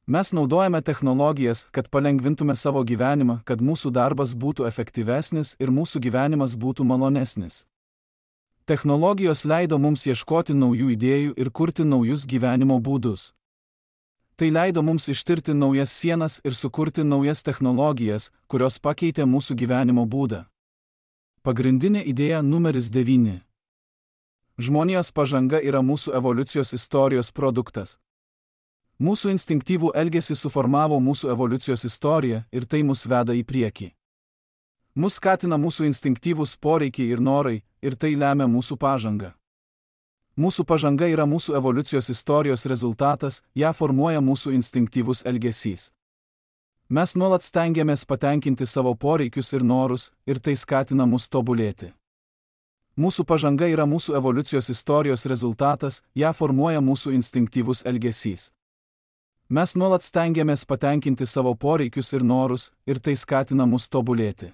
Mes naudojame technologijas, kad palengvintume savo gyvenimą, kad mūsų darbas būtų efektyvesnis ir mūsų gyvenimas būtų malonesnis. Technologijos leido mums ieškoti naujų idėjų ir kurti naujus gyvenimo būdus. Tai leido mums ištirti naujas sienas ir sukurti naujas technologijas, kurios pakeitė mūsų gyvenimo būdą. Pagrindinė idėja numeris 9. Žmonijos pažanga yra mūsų evoliucijos istorijos produktas. Mūsų instinktyvų elgesį suformavo mūsų evoliucijos istorija ir tai mus veda į priekį. Mus skatina mūsų instinktyvūs poreikiai ir norai, ir tai lemia mūsų pažangą. Mūsų pažanga yra mūsų evoliucijos istorijos rezultatas, ją formuoja mūsų instinktyvus elgesys. Mes nuolat stengiamės patenkinti savo poreikius ir norus, ir tai skatina mus tobulėti. Mūsų pažanga yra mūsų evoliucijos istorijos rezultatas, ją formuoja mūsų instinktyvus elgesys. Mes nuolat stengiamės patenkinti savo poreikius ir norus, ir tai skatina mus tobulėti.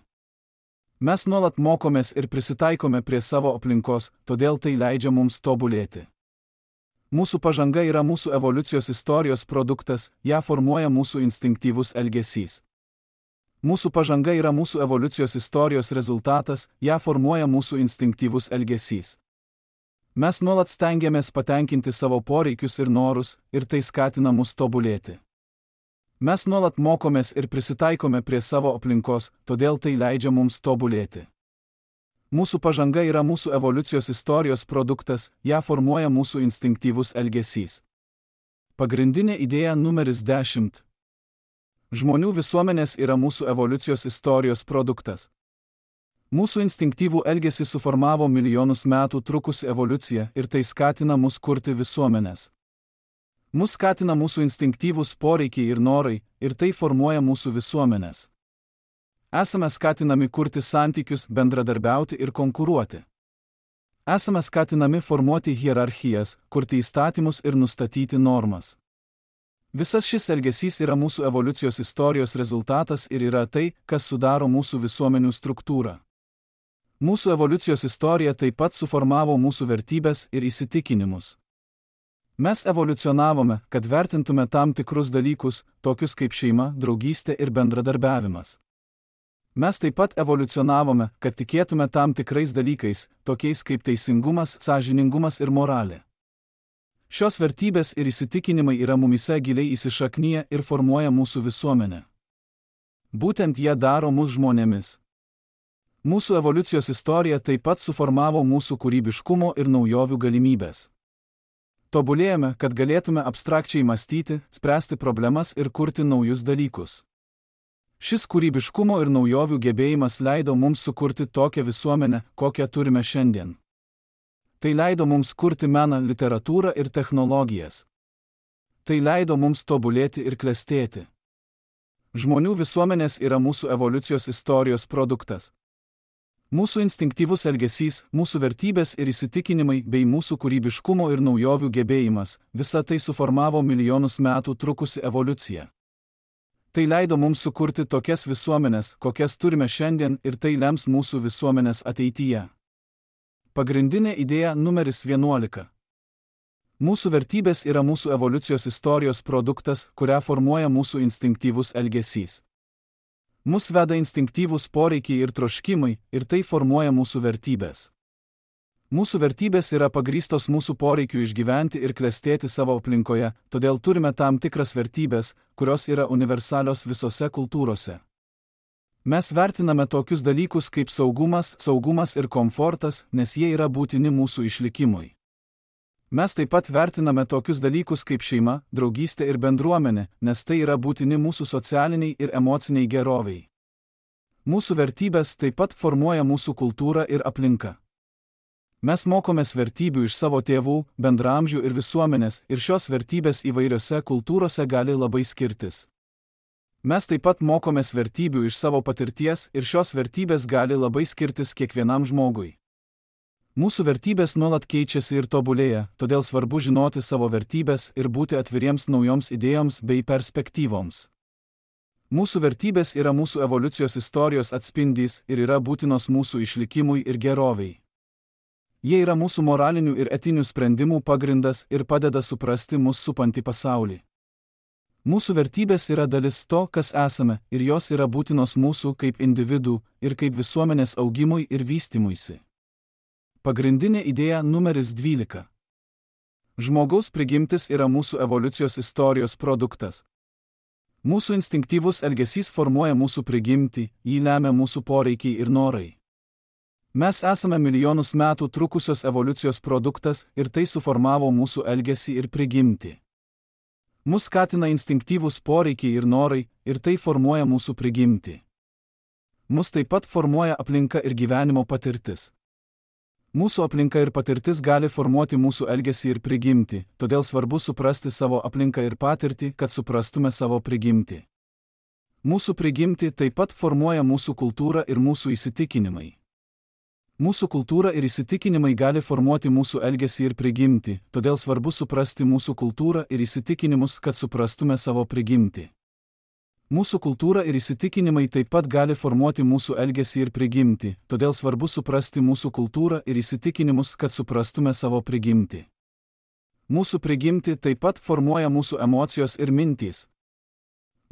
Mes nuolat mokomės ir prisitaikome prie savo aplinkos, todėl tai leidžia mums tobulėti. Mūsų pažanga yra mūsų evoliucijos istorijos produktas, ją formuoja mūsų instinktyvus elgesys. Mūsų pažanga yra mūsų evoliucijos istorijos rezultatas, ją formuoja mūsų instinktyvus elgesys. Mes nuolat stengiamės patenkinti savo poreikius ir norus, ir tai skatina mus tobulėti. Mes nuolat mokomės ir prisitaikome prie savo aplinkos, todėl tai leidžia mums tobulėti. Mūsų pažanga yra mūsų evoliucijos istorijos produktas, ją formuoja mūsų instinktyvus elgesys. Pagrindinė idėja numeris 10. Žmonių visuomenės yra mūsų evoliucijos istorijos produktas. Mūsų instinktyvų elgesį suformavo milijonus metų trukusi evoliucija ir tai skatina mus kurti visuomenės. Mus skatina mūsų instinktyvūs poreikiai ir norai, ir tai formuoja mūsų visuomenės. Esame skatinami kurti santykius, bendradarbiauti ir konkuruoti. Esame skatinami formuoti hierarchijas, kurti įstatymus ir nustatyti normas. Visas šis elgesys yra mūsų evoliucijos istorijos rezultatas ir yra tai, kas sudaro mūsų visuomenių struktūrą. Mūsų evoliucijos istorija taip pat suformavo mūsų vertybės ir įsitikinimus. Mes evoliucionavome, kad vertintume tam tikrus dalykus, tokius kaip šeima, draugystė ir bendradarbiavimas. Mes taip pat evoliucionavome, kad tikėtume tam tikrais dalykais, tokiais kaip teisingumas, sąžiningumas ir moralė. Šios vertybės ir įsitikinimai yra mumyse giliai įsišaknyję ir formuoja mūsų visuomenę. Būtent jie daro mus žmonėmis. Mūsų evoliucijos istorija taip pat suformavo mūsų kūrybiškumo ir naujovių galimybės. Tobulėjome, kad galėtume abstrakčiai mąstyti, spręsti problemas ir kurti naujus dalykus. Šis kūrybiškumo ir naujovių gebėjimas leido mums sukurti tokią visuomenę, kokią turime šiandien. Tai leido mums kurti meną, literatūrą ir technologijas. Tai leido mums tobulėti ir klestėti. Žmonių visuomenės yra mūsų evoliucijos istorijos produktas. Mūsų instinktyvus elgesys, mūsų vertybės ir įsitikinimai bei mūsų kūrybiškumo ir naujovių gebėjimas, visa tai suformavo milijonus metų trukusi evoliucija. Tai leido mums sukurti tokias visuomenės, kokias turime šiandien ir tai lems mūsų visuomenės ateityje. Pagrindinė idėja numeris 11. Mūsų vertybės yra mūsų evoliucijos istorijos produktas, kurią formuoja mūsų instinktyvus elgesys. Mus veda instinktyvūs poreikiai ir troškimai, ir tai formuoja mūsų vertybės. Mūsų vertybės yra pagrįstos mūsų poreikiu išgyventi ir klestėti savo aplinkoje, todėl turime tam tikras vertybės, kurios yra universalios visose kultūrose. Mes vertiname tokius dalykus kaip saugumas ir komfortas, nes jie yra būtini mūsų išlikimui. Mes taip pat vertiname tokius dalykus kaip šeima, draugystė ir bendruomenė, nes tai yra būtini mūsų socialiniai ir emociniai geroviai. Mūsų vertybės taip pat formuoja mūsų kultūrą ir aplinką. Mes mokomės vertybių iš savo tėvų, bendramžių ir visuomenės, ir šios vertybės įvairiose kultūrose gali labai skirtis. Mes taip pat mokomės vertybių iš savo patirties ir šios vertybės gali labai skirtis kiekvienam žmogui. Mūsų vertybės nuolat keičiasi ir tobulėja, todėl svarbu žinoti savo vertybės ir būti atviriems naujoms idėjoms bei perspektyvoms. Mūsų vertybės yra mūsų evoliucijos istorijos atspindys ir yra būtinos mūsų išlikimui ir geroviai. Jie yra mūsų moralinių ir etinių sprendimų pagrindas ir padeda suprasti mus supantį pasaulį. Mūsų vertybės yra dalis to, kas esame, ir jos yra būtinos mūsų kaip individų ir kaip visuomenės augimui ir vystymuisi. Pagrindinė idėja numeris 12. Žmogaus prigimtis yra mūsų evoliucijos istorijos produktas. Mūsų instinktyvus elgesys formuoja mūsų prigimtį, jį lemia mūsų poreikiai ir norai. Mes esame milijonus metų trukusios evoliucijos produktas ir tai suformavo mūsų elgesį ir prigimtį. Mus skatina instinktyvūs poreikiai ir norai ir tai formuoja mūsų prigimtį. Mus taip pat formuoja aplinka ir gyvenimo patirtis. Mūsų aplinka ir patirtis gali formuoti mūsų elgesį ir prigimtį, todėl svarbu suprasti savo aplinką ir patirtį, kad suprastume savo prigimtį. Mūsų prigimtį taip pat formuoja mūsų kultūra ir mūsų įsitikinimai. Mūsų kultūra ir įsitikinimai gali formuoti mūsų elgesį ir prigimtį, todėl svarbu suprasti mūsų kultūrą ir įsitikinimus, kad suprastume savo prigimtį. Mūsų kultūra ir įsitikinimai taip pat gali formuoti mūsų elgesį ir prigimtį, todėl svarbu suprasti mūsų kultūrą ir įsitikinimus, kad suprastume savo prigimtį. Mūsų prigimtį taip pat formuoja mūsų emocijos ir mintys.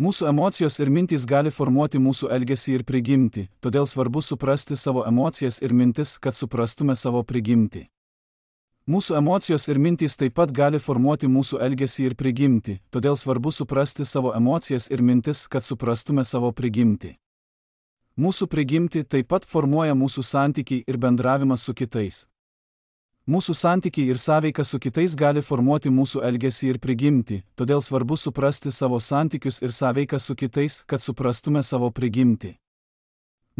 Mūsų emocijos ir mintys gali formuoti mūsų elgesį ir prigimtį, todėl svarbu suprasti savo emocijas ir mintis, kad suprastume savo prigimtį. Mūsų emocijos ir mintys taip pat gali formuoti mūsų elgesį ir prigimtį, todėl svarbu suprasti savo emocijas ir mintis, kad suprastume savo prigimtį. Mūsų prigimtį taip pat formuoja mūsų santykiai ir bendravimas su kitais. Mūsų santykiai ir sąveika su kitais gali formuoti mūsų elgesį ir prigimtį, todėl svarbu suprasti savo santykius ir sąveiką su kitais, kad suprastume savo prigimtį.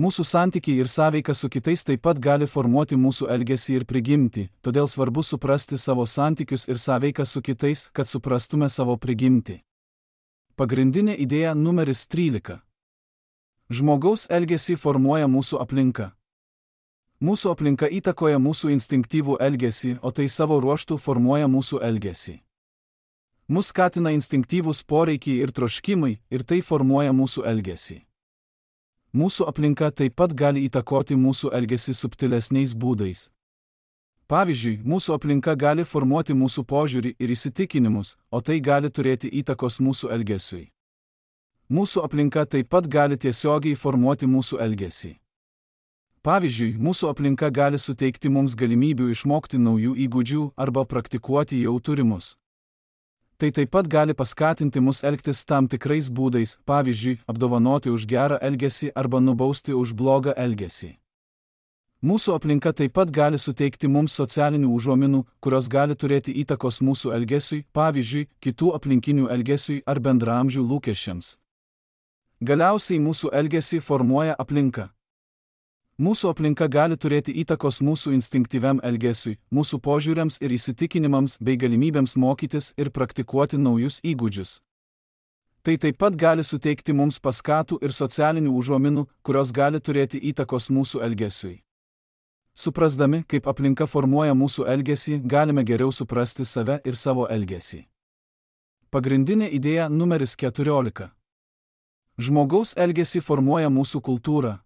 Mūsų santykiai ir sąveika su kitais taip pat gali formuoti mūsų elgesį ir prigimtį, todėl svarbu suprasti savo santykius ir sąveiką su kitais, kad suprastume savo prigimtį. Pagrindinė idėja numeris 13. Žmogaus elgesį formuoja mūsų aplinka. Mūsų aplinka įtakoja mūsų instinktyvų elgesį, o tai savo ruožtu formuoja mūsų elgesį. Mus skatina instinktyvūs poreikiai ir troškimai, ir tai formuoja mūsų elgesį. Mūsų aplinka taip pat gali įtakoti mūsų elgesį subtilesniais būdais. Pavyzdžiui, mūsų aplinka gali formuoti mūsų požiūrį ir įsitikinimus, o tai gali turėti įtakos mūsų elgesiui. Mūsų aplinka taip pat gali tiesiogiai formuoti mūsų elgesį. Pavyzdžiui, mūsų aplinka gali suteikti mums galimybių išmokti naujų įgūdžių arba praktikuoti jau turimus. Tai taip pat gali paskatinti mus elgtis tam tikrais būdais, pavyzdžiui, apdovanoti už gerą elgesį arba nubausti už blogą elgesį. Mūsų aplinka taip pat gali suteikti mums socialinių užuominų, kurios gali turėti įtakos mūsų elgesiui, pavyzdžiui, kitų aplinkinių elgesiui ar bendraamžių lūkesčiams. Galiausiai mūsų elgesį formuoja aplinka. Mūsų aplinka gali turėti įtakos mūsų instinktyviam elgesiui, mūsų požiūriams ir įsitikinimams bei galimybėms mokytis ir praktikuoti naujus įgūdžius. Tai taip pat gali suteikti mums paskatų ir socialinių užuominų, kurios gali turėti įtakos mūsų elgesiui. Suprasdami, kaip aplinka formuoja mūsų elgesį, galime geriau suprasti save ir savo elgesį. Pagrindinė idėja numeris 14. Žmogaus elgesį formuoja mūsų kultūra.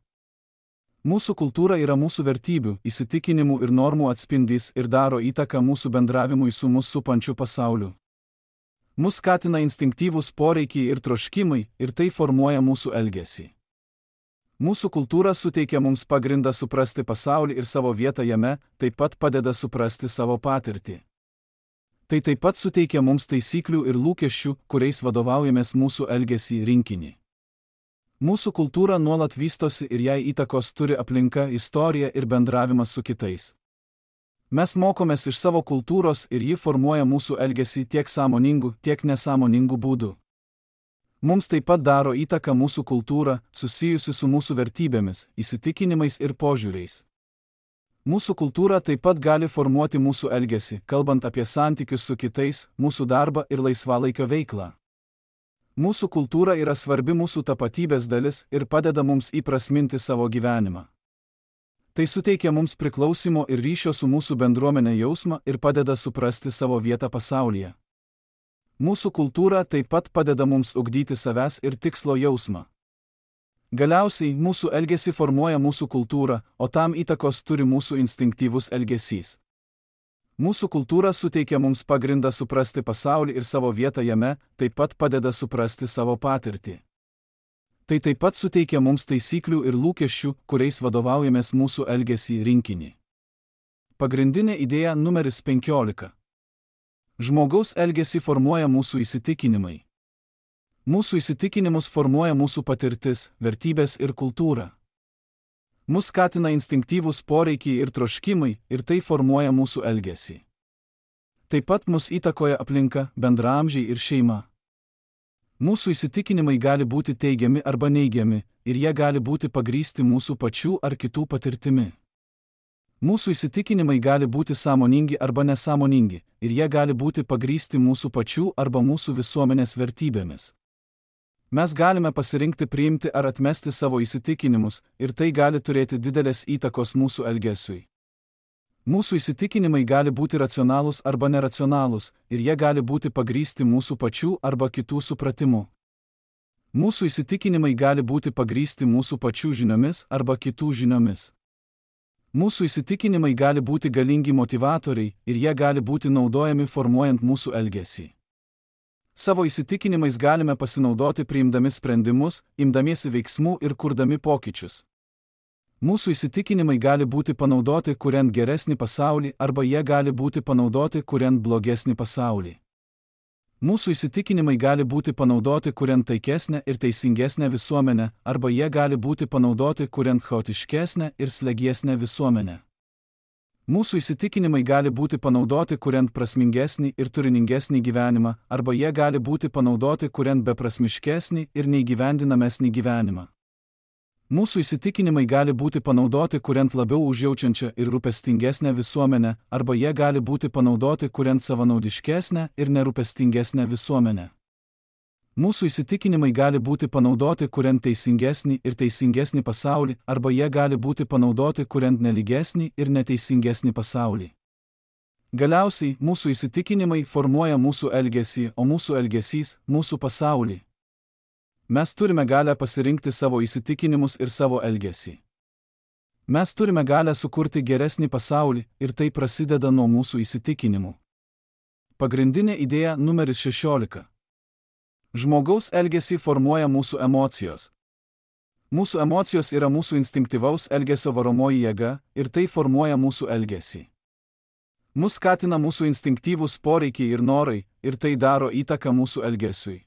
Mūsų kultūra yra mūsų vertybių, įsitikinimų ir normų atspindys ir daro įtaką mūsų bendravimui su mus supančiu pasauliu. Mus skatina instinktyvūs poreikiai ir troškimai ir tai formuoja mūsų elgesį. Mūsų kultūra suteikia mums pagrindą suprasti pasaulį ir savo vietą jame, taip pat padeda suprasti savo patirtį. Tai taip pat suteikia mums taisyklių ir lūkesčių, kuriais vadovaujamės mūsų elgesį rinkinį. Mūsų kultūra nuolat vystosi ir jai įtakos turi aplinka, istorija ir bendravimas su kitais. Mes mokomės iš savo kultūros ir ji formuoja mūsų elgesį tiek sąmoningų, tiek nesąmoningų būdų. Mums taip pat daro įtaką mūsų kultūra, susijusi su mūsų vertybėmis, įsitikinimais ir požiūriais. Mūsų kultūra taip pat gali formuoti mūsų elgesį, kalbant apie santykius su kitais, mūsų darbą ir laisvalaikio veiklą. Mūsų kultūra yra svarbi mūsų tapatybės dalis ir padeda mums įprasminti savo gyvenimą. Tai suteikia mums priklausimo ir ryšio su mūsų bendruomenė jausmą ir padeda suprasti savo vietą pasaulyje. Mūsų kultūra taip pat padeda mums ugdyti savęs ir tikslo jausmą. Galiausiai mūsų elgesį formuoja mūsų kultūra, o tam įtakos turi mūsų instinktyvus elgesys. Mūsų kultūra suteikia mums pagrindą suprasti pasaulį ir savo vietą jame, taip pat padeda suprasti savo patirtį. Tai taip pat suteikia mums taisyklių ir lūkesčių, kuriais vadovaujamės mūsų elgesį rinkinį. Pagrindinė idėja numeris 15. Žmogaus elgesį formuoja mūsų įsitikinimai. Mūsų įsitikinimus formuoja mūsų patirtis, vertybės ir kultūra. Mus skatina instinktyvūs poreikiai ir troškimai ir tai formuoja mūsų elgesį. Taip pat mus įtakoja aplinka, bendraamžiai ir šeima. Mūsų įsitikinimai gali būti teigiami arba neigiami ir jie gali būti pagrįsti mūsų pačių ar kitų patirtimi. Mūsų įsitikinimai gali būti sąmoningi arba nesąmoningi ir jie gali būti pagrįsti mūsų pačių arba mūsų visuomenės vertybėmis. Mes galime pasirinkti priimti ar atmesti savo įsitikinimus ir tai gali turėti didelės įtakos mūsų elgesiui. Mūsų įsitikinimai gali būti racionalūs arba neracionalūs ir jie gali būti pagrįsti mūsų pačių arba kitų supratimu. Mūsų įsitikinimai gali būti pagrįsti mūsų pačių žiniomis arba kitų žiniomis. Mūsų įsitikinimai gali būti galingi motyvatoriai ir jie gali būti naudojami formuojant mūsų elgesį. Savo įsitikinimais galime pasinaudoti priimdami sprendimus, imdamiesi veiksmų ir kurdami pokyčius. Mūsų įsitikinimai gali būti panaudoti kuriant geresnį pasaulį arba jie gali būti panaudoti kuriant blogesnį pasaulį. Mūsų įsitikinimai gali būti panaudoti kuriant taikesnę ir teisingesnę visuomenę arba jie gali būti panaudoti kuriant chaotiškesnę ir slegiesnę visuomenę. Mūsų įsitikinimai gali būti panaudoti kuriant prasmingesnį ir turiningesnį gyvenimą, arba jie gali būti panaudoti kuriant beprasmiškesnį ir neįgyvendinamesnį gyvenimą. Mūsų įsitikinimai gali būti panaudoti kuriant labiau užjaučiančią ir rūpestingesnę visuomenę, arba jie gali būti panaudoti kuriant savanaudiškesnę ir nerūpestingesnę visuomenę. Mūsų įsitikinimai gali būti panaudoti kuriant teisingesnį ir teisingesnį pasaulį, arba jie gali būti panaudoti kuriant nelygesnį ir neteisingesnį pasaulį. Galiausiai, mūsų įsitikinimai formuoja mūsų elgesį, o mūsų elgesys – mūsų pasaulį. Mes turime galę pasirinkti savo įsitikinimus ir savo elgesį. Mes turime galę sukurti geresnį pasaulį ir tai prasideda nuo mūsų įsitikinimų. Pagrindinė idėja numeris 16. Žmogaus elgesį formuoja mūsų emocijos. Mūsų emocijos yra mūsų instinktyvaus elgesio varomoji jėga ir tai formuoja mūsų elgesį. Mus skatina mūsų instinktyvūs poreikiai ir norai ir tai daro įtaką mūsų elgesiui.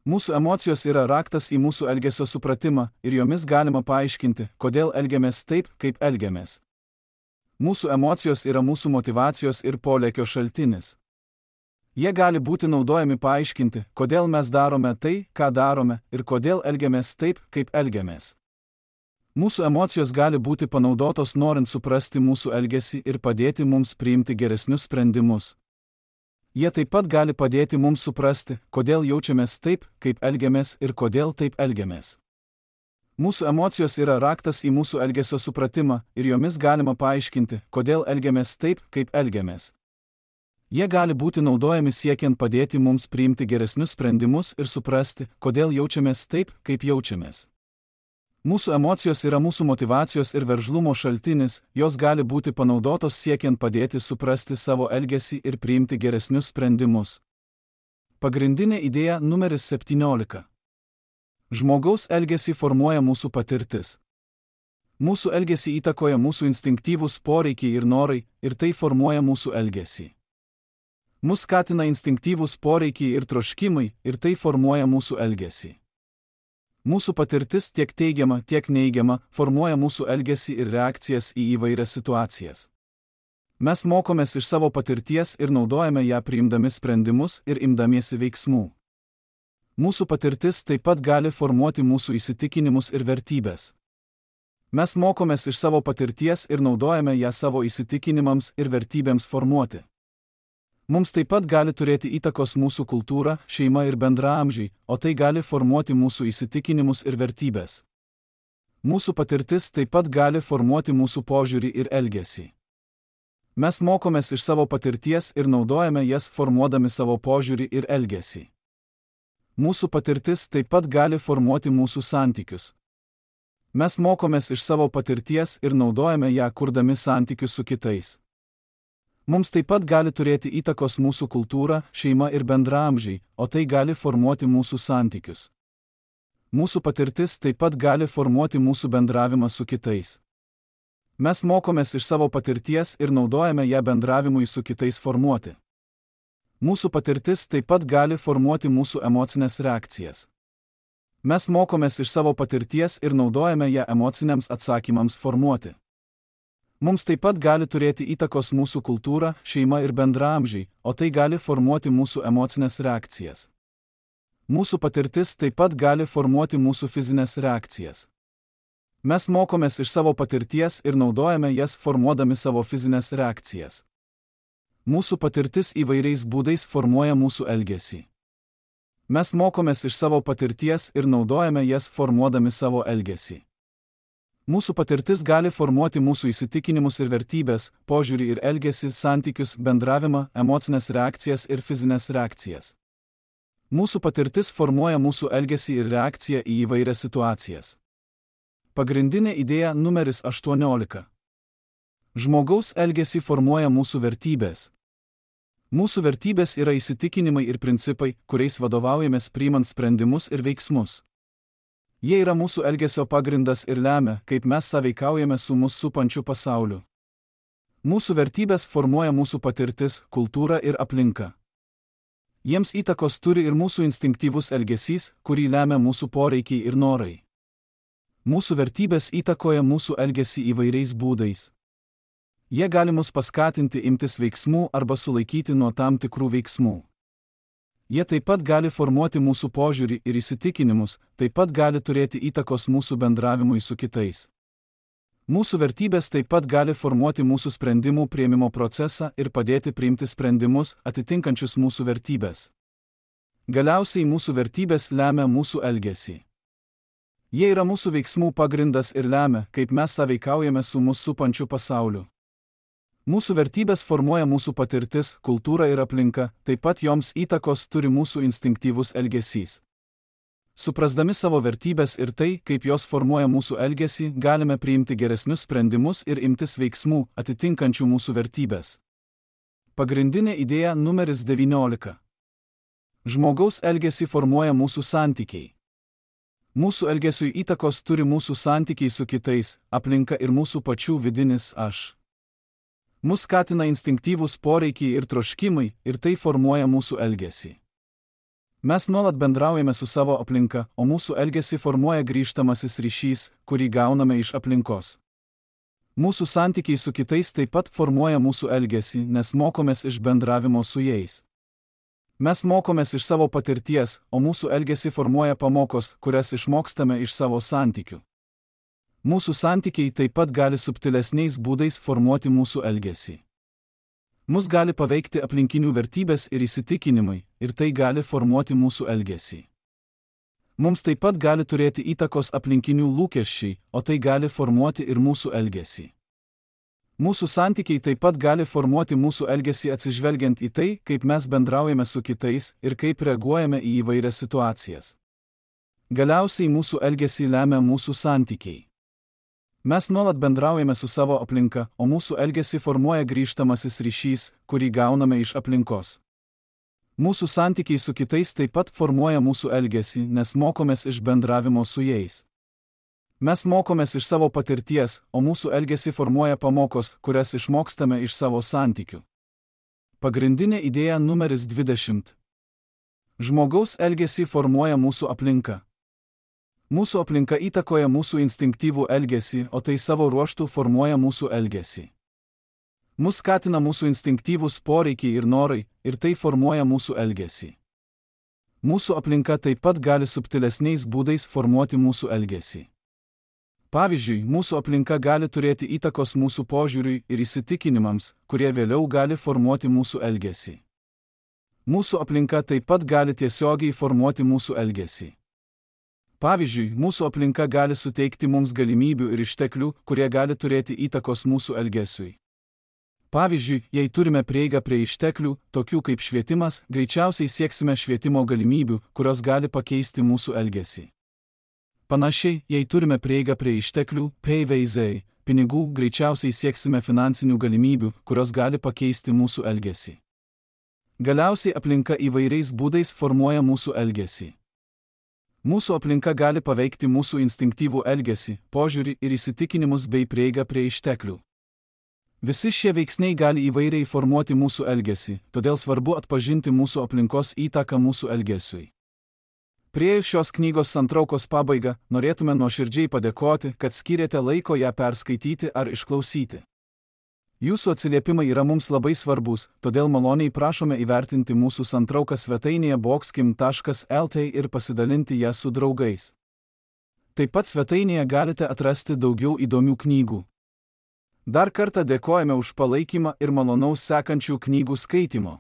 Mūsų emocijos yra raktas į mūsų elgesio supratimą ir jomis galima paaiškinti, kodėl elgiamės taip, kaip elgiamės. Mūsų emocijos yra mūsų motyvacijos ir polėkio šaltinis. Jie gali būti naudojami paaiškinti, kodėl mes darome tai, ką darome, ir kodėl elgiamės taip, kaip elgiamės. Mūsų emocijos gali būti panaudotos norint suprasti mūsų elgesį ir padėti mums priimti geresnius sprendimus. Jie taip pat gali padėti mums suprasti, kodėl jaučiamės taip, kaip elgiamės ir kodėl taip elgiamės. Mūsų emocijos yra raktas į mūsų elgesio supratimą ir jomis galima paaiškinti, kodėl elgiamės taip, kaip elgiamės. Jie gali būti naudojami siekiant padėti mums priimti geresnius sprendimus ir suprasti, kodėl jaučiamės taip, kaip jaučiamės. Mūsų emocijos yra mūsų motyvacijos ir veržlumo šaltinis, jos gali būti panaudotos siekiant padėti suprasti savo elgesį ir priimti geresnius sprendimus. Pagrindinė idėja numeris 17. Žmogaus elgesį formuoja mūsų patirtis. Mūsų elgesį įtakoja mūsų instinktyvūs poreikiai ir norai ir tai formuoja mūsų elgesį. Mus skatina instinktyvūs poreikiai ir troškimai ir tai formuoja mūsų elgesį. Mūsų patirtis tiek teigiama, tiek neigiama formuoja mūsų elgesį ir reakcijas į įvairias situacijas. Mes mokomės iš savo patirties ir naudojame ją priimdami sprendimus ir imdamiesi veiksmų. Mūsų patirtis taip pat gali formuoti mūsų įsitikinimus ir vertybės. Mes mokomės iš savo patirties ir naudojame ją savo įsitikinimams ir vertybėms formuoti. Mums taip pat gali turėti įtakos mūsų kultūra, šeima ir bendraamžiai, o tai gali formuoti mūsų įsitikinimus ir vertybės. Mūsų patirtis taip pat gali formuoti mūsų požiūrį ir elgesį. Mes mokomės iš savo patirties ir naudojame jas formuodami savo požiūrį ir elgesį. Mūsų patirtis taip pat gali formuoti mūsų santykius. Mes mokomės iš savo patirties ir naudojame ją kurdami santykius su kitais. Mums taip pat gali turėti įtakos mūsų kultūra, šeima ir bendraamžiai, o tai gali formuoti mūsų santykius. Mūsų patirtis taip pat gali formuoti mūsų bendravimą su kitais. Mes mokomės iš savo patirties ir naudojame ją bendravimui su kitais formuoti. Mūsų patirtis taip pat gali formuoti mūsų emocinės reakcijas. Mes mokomės iš savo patirties ir naudojame ją emociniams atsakymams formuoti. Mums taip pat gali turėti įtakos mūsų kultūra, šeima ir bendraamžiai, o tai gali formuoti mūsų emocinės reakcijas. Mūsų patirtis taip pat gali formuoti mūsų fizinės reakcijas. Mes mokomės iš savo patirties ir naudojame jas formuodami savo fizinės reakcijas. Mūsų patirtis įvairiais būdais formuoja mūsų elgesį. Mes mokomės iš savo patirties ir naudojame jas formuodami savo elgesį. Mūsų patirtis gali formuoti mūsų įsitikinimus ir vertybės, požiūrį ir elgesį, santykius, bendravimą, emocinės reakcijas ir fizinės reakcijas. Mūsų patirtis formuoja mūsų elgesį ir reakciją į įvairias situacijas. Pagrindinė idėja numeris 18. Žmogaus elgesį formuoja mūsų vertybės. Mūsų vertybės yra įsitikinimai ir principai, kuriais vadovaujamės priimant sprendimus ir veiksmus. Jie yra mūsų elgesio pagrindas ir lemia, kaip mes sąveikaujame su mus supančiu pasauliu. Mūsų vertybės formuoja mūsų patirtis, kultūra ir aplinka. Jiems įtakos turi ir mūsų instinktyvus elgesys, kurį lemia mūsų poreikiai ir norai. Mūsų vertybės įtakoja mūsų elgesį įvairiais būdais. Jie gali mus paskatinti imtis veiksmų arba sulaikyti nuo tam tikrų veiksmų. Jie taip pat gali formuoti mūsų požiūrį ir įsitikinimus, taip pat gali turėti įtakos mūsų bendravimui su kitais. Mūsų vertybės taip pat gali formuoti mūsų sprendimų priėmimo procesą ir padėti priimti sprendimus atitinkančius mūsų vertybės. Galiausiai mūsų vertybės lemia mūsų elgesį. Jie yra mūsų veiksmų pagrindas ir lemia, kaip mes sąveikaujame su mus supančiu pasauliu. Mūsų vertybės formuoja mūsų patirtis, kultūra ir aplinka, taip pat joms įtakos turi mūsų instinktyvus elgesys. Suprasdami savo vertybės ir tai, kaip jos formuoja mūsų elgesį, galime priimti geresnius sprendimus ir imtis veiksmų, atitinkančių mūsų vertybės. Pagrindinė idėja numeris 19. Žmogaus elgesį formuoja mūsų santykiai. Mūsų elgesiui įtakos turi mūsų santykiai su kitais, aplinka ir mūsų pačių vidinis aš. Mus skatina instinktyvūs poreikiai ir troškimai, ir tai formuoja mūsų elgesį. Mes nuolat bendraujame su savo aplinka, o mūsų elgesį formuoja grįžtamasis ryšys, kurį gauname iš aplinkos. Mūsų santykiai su kitais taip pat formuoja mūsų elgesį, nes mokomės iš bendravimo su jais. Mes mokomės iš savo patirties, o mūsų elgesį formuoja pamokos, kurias išmokstame iš savo santykių. Mūsų santykiai taip pat gali subtilesniais būdais formuoti mūsų elgesį. Mus gali paveikti aplinkinių vertybės ir įsitikinimai, ir tai gali formuoti mūsų elgesį. Mums taip pat gali turėti įtakos aplinkinių lūkesčiai, o tai gali formuoti ir mūsų elgesį. Mūsų santykiai taip pat gali formuoti mūsų elgesį atsižvelgiant į tai, kaip mes bendraujame su kitais ir kaip reaguojame į įvairias situacijas. Galiausiai mūsų elgesį lemia mūsų santykiai. Mes nuolat bendraujame su savo aplinka, o mūsų elgesį formuoja grįžtamasis ryšys, kurį gauname iš aplinkos. Mūsų santykiai su kitais taip pat formuoja mūsų elgesį, nes mokomės iš bendravimo su jais. Mes mokomės iš savo patirties, o mūsų elgesį formuoja pamokos, kurias išmokstame iš savo santykių. Pagrindinė idėja numeris 20. Žmogaus elgesį formuoja mūsų aplinka. Mūsų aplinka įtakoja mūsų instinktyvų elgesį, o tai savo ruožtu formuoja mūsų elgesį. Mus skatina mūsų instinktyvūs poreikiai ir norai, ir tai formuoja mūsų elgesį. Mūsų aplinka taip pat gali subtilesniais būdais formuoti mūsų elgesį. Pavyzdžiui, mūsų aplinka gali turėti įtakos mūsų požiūriui ir įsitikinimams, kurie vėliau gali formuoti mūsų elgesį. Mūsų aplinka taip pat gali tiesiogiai formuoti mūsų elgesį. Pavyzdžiui, mūsų aplinka gali suteikti mums galimybių ir išteklių, kurie gali turėti įtakos mūsų elgesiui. Pavyzdžiui, jei turime prieigą prie išteklių, tokių kaip švietimas, greičiausiai sieksime švietimo galimybių, kurios gali pakeisti mūsų elgesį. Panašiai, jei turime prieigą prie išteklių, pinigų, greičiausiai sieksime finansinių galimybių, kurios gali pakeisti mūsų elgesį. Galiausiai aplinka įvairiais būdais formuoja mūsų elgesį. Mūsų aplinka gali paveikti mūsų instinktyvų elgesį, požiūrį ir įsitikinimus bei prieigą prie išteklių. Visi šie veiksniai gali įvairiai formuoti mūsų elgesį, todėl svarbu atpažinti mūsų aplinkos įtaką mūsų elgesiui. Priėjus šios knygos santraukos pabaigą, norėtume nuoširdžiai padėkoti, kad skyrėte laiko ją perskaityti ar išklausyti. Jūsų atsiliepimai yra mums labai svarbus, todėl maloniai prašome įvertinti mūsų santrauką svetainėje boxkim.lt ir pasidalinti ją su draugais. Taip pat svetainėje galite atrasti daugiau įdomių knygų. Dar kartą dėkojame už palaikymą ir malonaus sekančių knygų skaitimo.